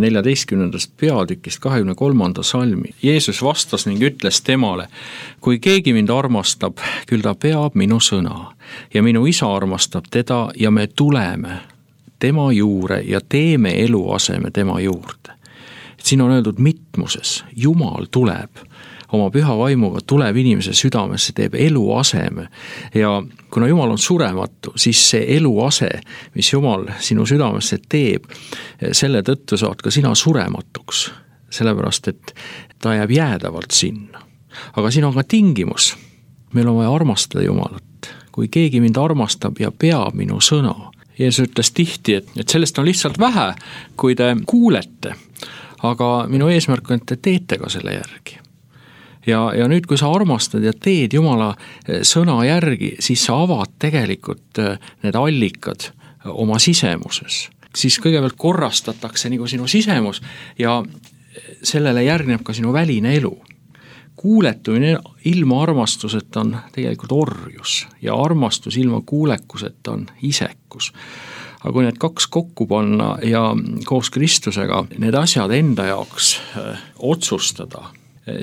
neljateistkümnendast peatükist kahekümne kolmanda salmi. Jeesus vastas ning ütles temale, kui keegi mind armastab, küll ta peab minu sõna ja minu isa armastab teda ja me tuleme tema juure ja teeme eluaseme tema juurde. Et siin on öeldud mitmuses, Jumal tuleb oma püha vaimuga, tuleb inimese südamesse, teeb eluaseme ja kuna Jumal on surematu, siis see eluase, mis Jumal sinu südamesse teeb, selle tõttu saad ka sina surematuks, sellepärast et ta jääb jäädavalt sinna. Aga siin on ka tingimus, meil on vaja armastada Jumalat, kui keegi mind armastab ja peab minu sõna. Jeesus ütles tihti, et, et sellest on lihtsalt vähe, kui te kuulete, aga minu eesmärk on, et te teete ka selle järgi. Ja, ja nüüd, kui sa armastad ja teed Jumala sõna järgi, siis sa avad tegelikult need allikad oma sisemuses. Siis kõigepealt korrastatakse nagu sinu sisemus ja sellele järgneb ka sinu väline elu. Kuuletumine ilma armastuseta on tegelikult orjus ja armastus ilma kuulekuseta on isekus. Aga kui need kaks kokku panna ja koos Kristusega need asjad enda jaoks otsustada,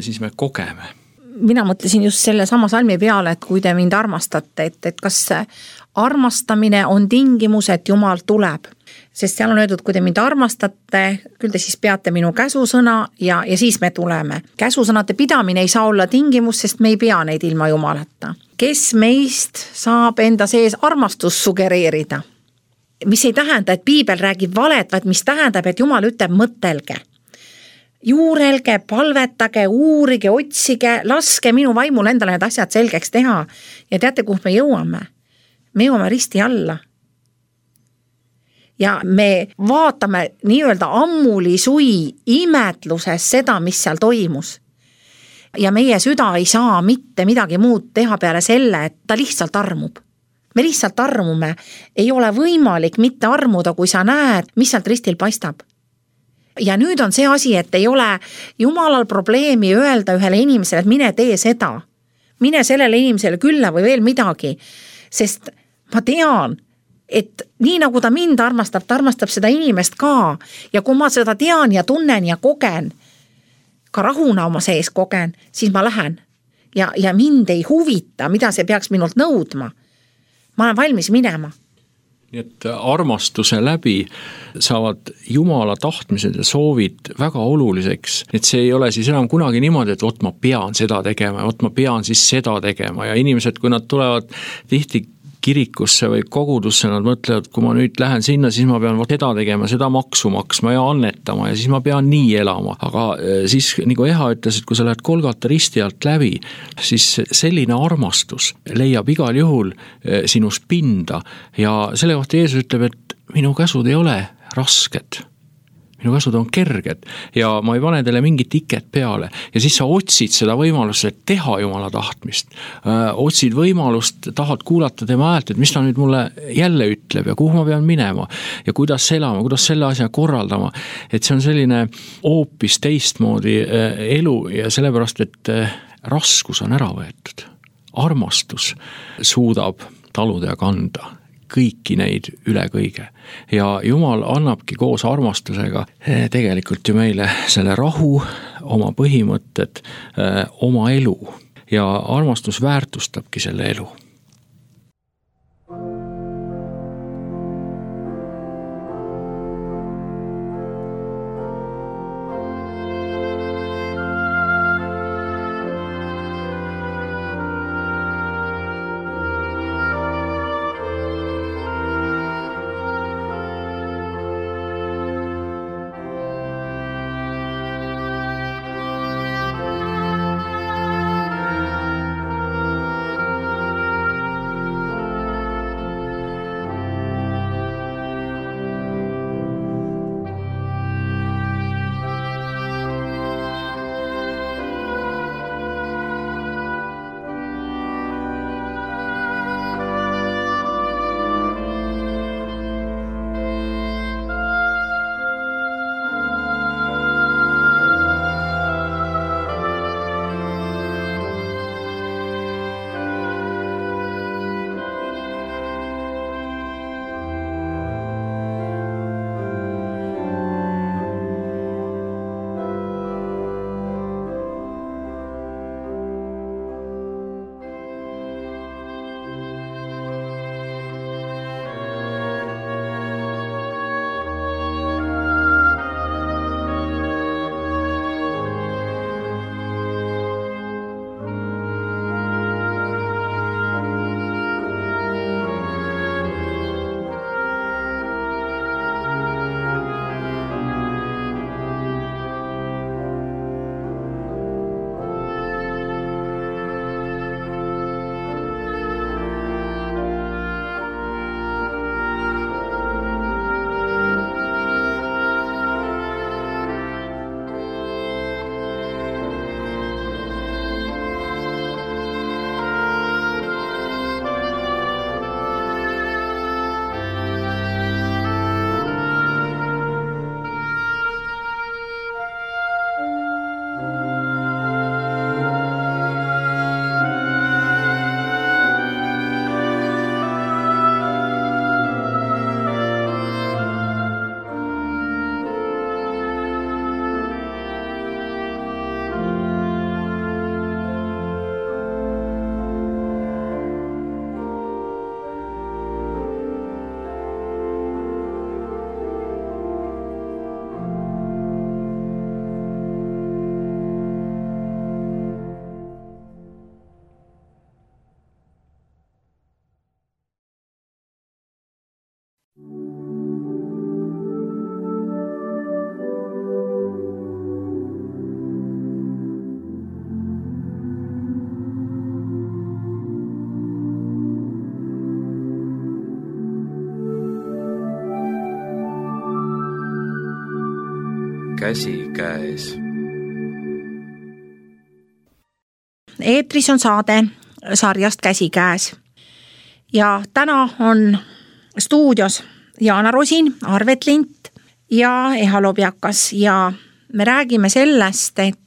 siis me kogeme. Mina mõtlesin just selle sama salmi peale, et kui te mind armastate, et, et kas armastamine on tingimus, et Jumal tuleb. Sest seal on öeldud, kui te mind armastate, küll te siis peate minu käsusõna ja, ja siis me tuleme. Käsusõnade pidamine ei saa olla tingimus, sest me ei pea neid ilma Jumalata. Kes meist saab enda sees armastust sugereerida? Mis ei tähenda, et piibel räägib valet, vaid mis tähendab, et Jumal ütleb mõtelge. Juurelge, palvetage, uurige, otsige, laske minu vaimul endale need asjad selgeks teha. Ja teate, kuhu me jõuame? Me jõuame risti alla. Ja me vaatame nii-öelda ammuli sui imetluses seda, mis seal toimus. Ja meie süda ei saa mitte midagi muud teha peale selle, et ta lihtsalt armub. Me lihtsalt armume. Ei ole võimalik mitte armuda, kui sa näed, mis sealt ristil paistab. Ja nüüd on see asi, et ei ole Jumalal probleemi öelda ühele inimesele, et mine tee seda. Mine sellele inimesele külla või veel midagi. Sest ma tean, et nii nagu ta mind armastab, ta armastab seda inimest ka. Ja kui ma seda tean ja tunnen ja kogen, ka rahuna oma sees kogen, siis ma lähen. Ja, ja mind ei huvita, mida see peaks minult nõudma. Ma olen valmis minema. Nii et armastuse läbi saavad Jumala tahtmised ja soovid väga oluliseks, et see ei ole siis enam kunagi niimoodi, et ot ma pean seda tegema ja ot ma pean siis seda tegema ja inimesed, kui nad tulevad tihti kirikusse või kogudusse, nad mõtlevad, kui ma nüüd lähen sinna, siis ma pean seda tegema, seda maksu maksma ja annetama ja siis ma pean nii elama. Aga siis, nagu Eha ütles, et kui sa lähed Golgata risti alt läbi, siis selline armastus leiab igal juhul sinus pinda ja selle kohta Jeesus ütleb, et minu käsud ei ole rasked. Minu käsud on kerged ja ma ei pane teile mingit iket peale ja siis sa otsid seda võimalust, et teha Jumala tahtmist. Öö, otsid võimalust, tahad kuulata tema häält, et mis ta nüüd mulle jälle ütleb ja kuhu ma pean minema ja kuidas elama, kuidas selle asja korraldama. Et see on selline hoopis teistmoodi elu ja sellepärast, et raskus on ära võetud. Armastus suudab taluda ja kanda kõiki neid üle kõige. Ja Jumal annabki koos armastusega tegelikult ju meile selle rahu, oma põhimõtted, oma elu ja armastus väärtustabki selle elu. käsikäes. Eetris on saade sarjast Käsikäes ja täna on stuudios Jaana Rosin, Arvet Lint ja Eha Lobjakas ja me räägime sellest, et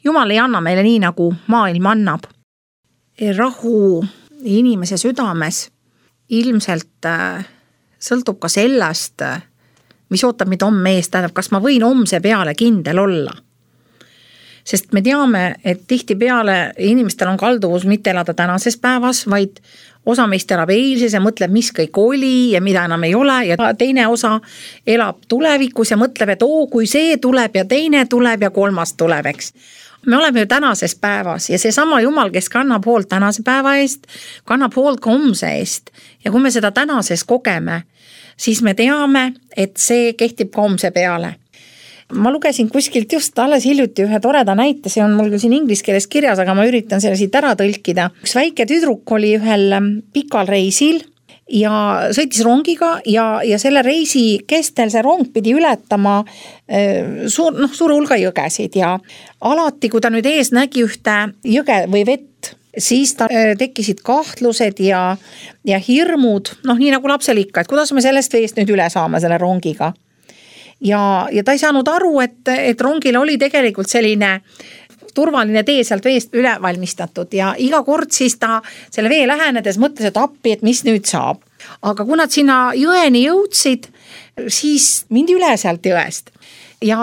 Jumal ei anna meile nii, nagu maailm annab. Rahu inimese südames ilmselt sõltub ka sellest, mis ootab meid homme ees, tähendab, kas ma võin homse peale kindel olla. Sest me teame, et tihti peale inimestel on kalduvus mitte elada tänases päevas, vaid osa meist elab eilses ja mõtleb, mis kõik oli ja mida enam ei ole ja teine osa elab tulevikus ja mõtleb, et oo, kui see tuleb ja teine tuleb ja kolmas tuleb, eks. Me oleme ju tänases päevas ja see sama Jumal, kes kannab hoolt tänase päeva eest, kannab hoolt ka homse eest. Ja kui me seda tänases kogeme, siis me teame, et see kehtib ka homse peale. Ma lugesin kuskilt just alles hiljuti ühe toreda näite, see on mul siin inglise keeles kirjas, aga ma üritan selle siit ära tõlkida. Üks väike tüdruk oli ühel pikal reisil ja sõitis rongiga ja, ja selle reisi kestel see rong pidi ületama suur, noh, suure hulga jõgesid ja alati, kui ta nüüd ees nägi ühte jõge või vett, siis ta tekkisid kahtlused ja, ja hirmud, noh nii nagu lapsel ikka, et kuidas me sellest veest nüüd üle saame selle rongiga. Ja, ja ta ei saanud aru, et, et rongil oli tegelikult selline turvaline tee sealt veest üle valmistatud ja iga kord siis ta selle vee lähenedes mõtles, et appi, et mis nüüd saab. Aga kui nad sinna jõeni jõudsid, siis mindi üle sealt jõest. Ja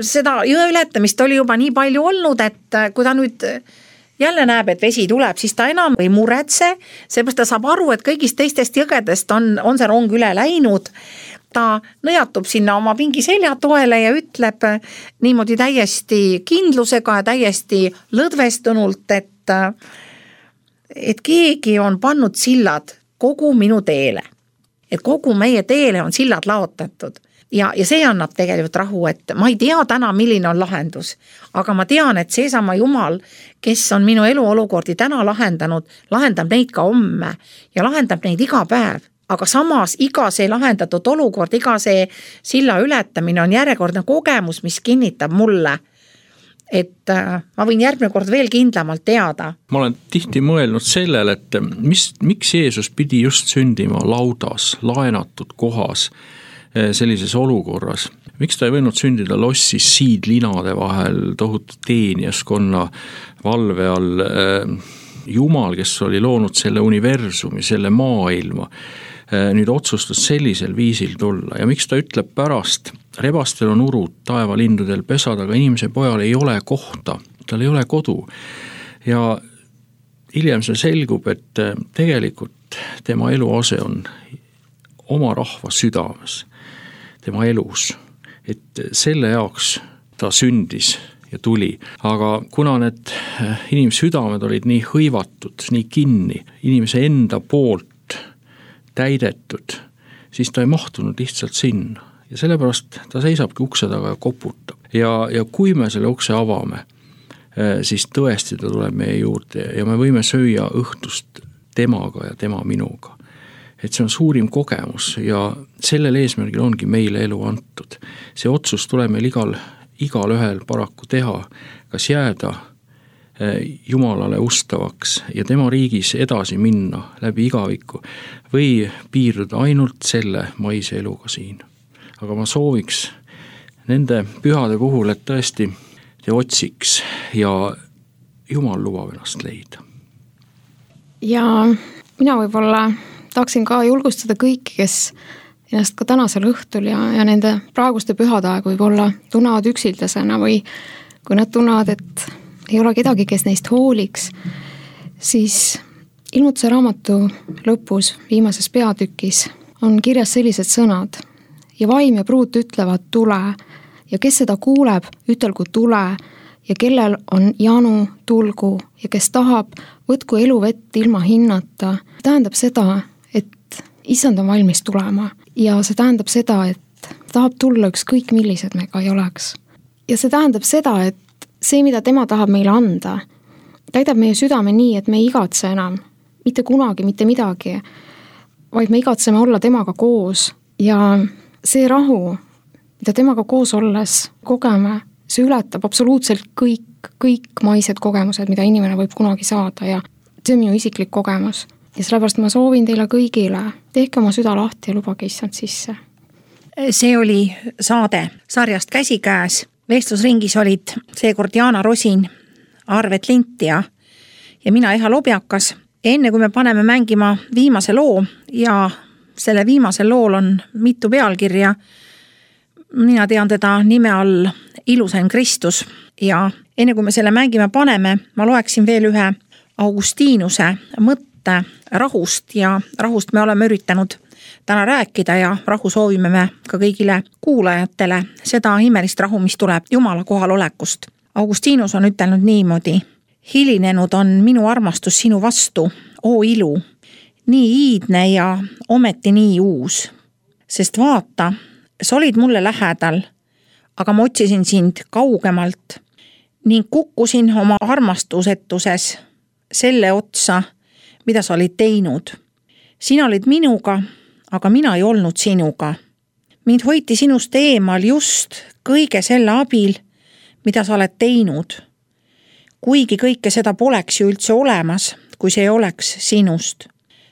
seda jõe ületamist oli juba nii palju olnud, et kui ta nüüd jälle näeb, et vesi tuleb, siis ta enam ei muretse, seepärast ta saab aru, et kõigist teistest jõgedest on, on see rong üle läinud. Ta nõjatub sinna oma pingi selja toele ja ütleb niimoodi täiesti kindlusega ja täiesti lõdvestunult, et, et keegi on pannud sillad kogu minu teele. Et kogu meie teele on sillad laotatud. Ja, ja see annab tegelikult rahu, et ma ei tea täna, milline on lahendus, aga ma tean, et seesama Jumal, kes on minu eluolukordi täna lahendanud, lahendab neid ka homme ja lahendab neid iga päev. Aga samas iga see lahendatud olukord, iga see silla ületamine on järjekordne kogemus, mis kinnitab mulle, et ma võin järgmine kord veel kindlamalt teada. Ma olen tihti mõelnud sellele, et mis, miks Jeesus pidi just sündima laudas, laenatud kohas, sellises olukorras. Miks ta ei võinud sündida lossis siidlinade vahel, tohutu teenijaskonna valve all, Jumal, kes oli loonud selle universumi, selle maailma, nüüd otsustas sellisel viisil tulla ja miks ta ütleb pärast, rebastel on urud, taevalindudel pesad, aga inimese pojal ei ole kohta, tal ei ole kodu ja hiljem see selgub, et tegelikult tema eluase on oma rahva südames, tema elus, et selle jaoks ta sündis ja tuli, aga kuna need inimsüdamed olid nii hõivatud, nii kinni, inimese enda poolt täidetud, siis ta ei mahtunud lihtsalt sinna ja sellepärast ta seisabki ukse taga ja koputab ja, ja kui me selle ukse avame, siis tõesti ta tuleb meie juurde ja me võime süüa õhtust temaga ja tema minuga. Et see on suurim kogemus ja sellel eesmärgil ongi meile elu antud. See otsus tuleb meil igal igal ühel paraku teha, kas jääda Jumalale ustavaks ja tema riigis edasi minna läbi igaviku või piirduda ainult selle maise eluga siin. Aga ma sooviks nende pühade puhul, et tõesti te otsiks ja Jumal lubab ennast leida. Ja mina võib-olla tahaksin ka julgustada kõiki, kes ennast ka tänasel õhtul ja, ja nende praeguste pühade aeg võib-olla tunnevad üksildasena või kui nad tunnevad, et ei ole kedagi, kes neist hooliks, siis Ilmutuse raamatu lõpus viimases peatükis on kirjas sellised sõnad ja vaim ja pruut ütlevad tule ja kes seda kuuleb, ütelgu tule ja kellel on janu, tulgu ja kes tahab, võtku eluvett ilma hinnata. Tähendab seda, et issand on valmis tulema ja see tähendab seda, et tahab tulla ükskõik millised me ka ei oleks. Ja see tähendab seda, et see, mida tema tahab meile anda, täidab meie südame nii, et me ei igatse enam, mitte kunagi, mitte midagi, vaid me igatseme olla temaga koos ja see rahu, mida temaga koos olles kogeme, see ületab absoluutselt kõik, kõik maised kogemused, mida inimene võib kunagi saada ja see on minu isiklik kogemus. Ja sellepärast ma soovin teile kõigile, tehke oma süda lahti ja lubage issand sisse. See oli saade sarjast Käsikäes. Vestlusringis olid seekord Jaana Rosin, Arvet Lint ja, ja mina Eha Lobjakas. Enne kui me paneme mängima viimase loo ja selle viimasel lool on mitu pealkirja, mina tean teda nime all Ilusaim Kristus ja enne kui me selle mängima paneme, ma loeksin veel ühe Augustinuse mõtte rahust ja rahust me oleme üritanud täna rääkida ja rahu soovime me ka kõigile kuulajatele seda imelist rahu, mis tuleb Jumala kohalolekust. Augustinus on ütelnud niimoodi: hilinenud on minu armastus sinu vastu, oo ilu, nii iidne ja ometi nii uus. Sest vaata, sa olid mulle lähedal, aga ma otsisin sind kaugemalt ning kukkusin oma armastusetuses selle otsa, mida sa olid teinud. Sina olid minuga, aga mina ei olnud sinuga. Mind hoiti sinust eemal just kõige selle abil, mida sa oled teinud. Kuigi kõike seda poleks ju üldse olemas, kui see ei oleks sinust.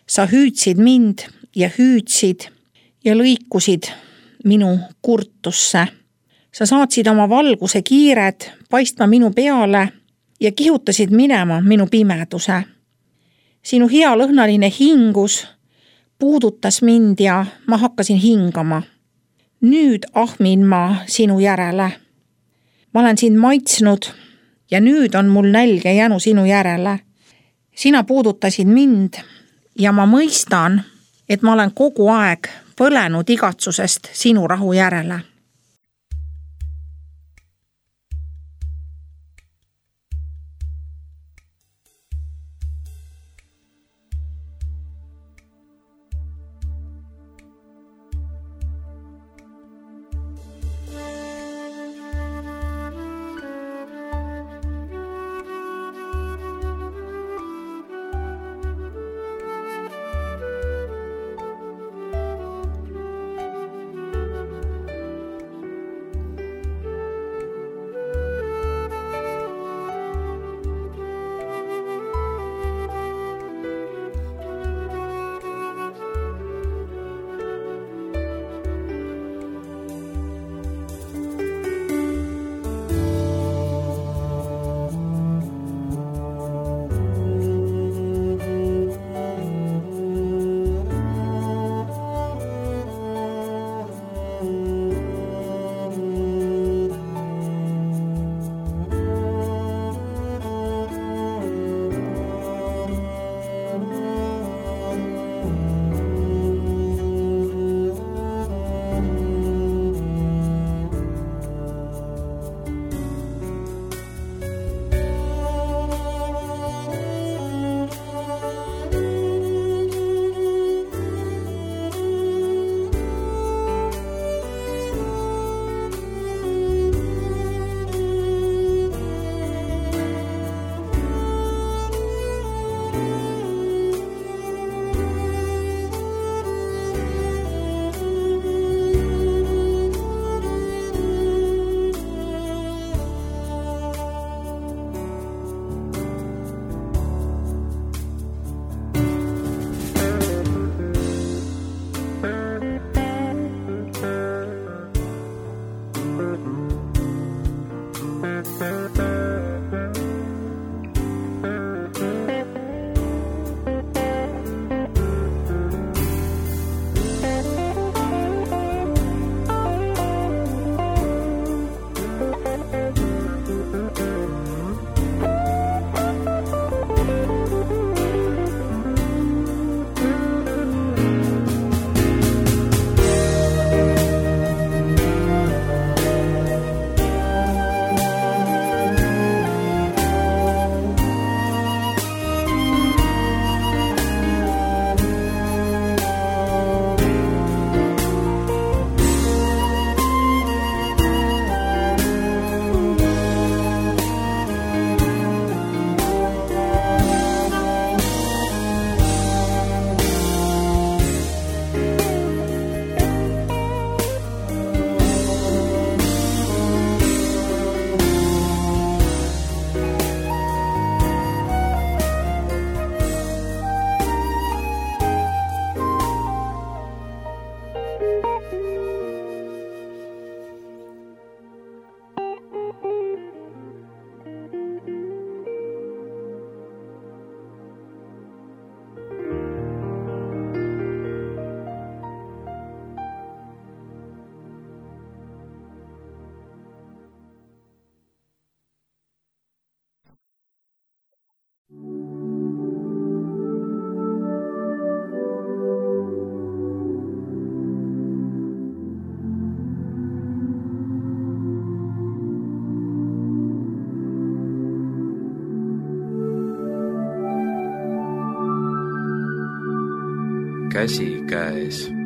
Sa hüüdsid mind ja hüüdsid ja lõikusid minu kurtusse. Sa saatsid oma valguse kiired paistma minu peale ja kihutasid minema minu pimeduse. Sinu hea lõhnaline hingus puudutas mind ja ma hakkasin hingama. Nüüd ahmin ma sinu järele. Ma olen sind maitsnud ja nüüd on mul nälge jänu sinu järele. Sina puudutasid mind ja ma mõistan, et ma olen kogu aeg põlenud igatsusest sinu rahu järele. käsikäes.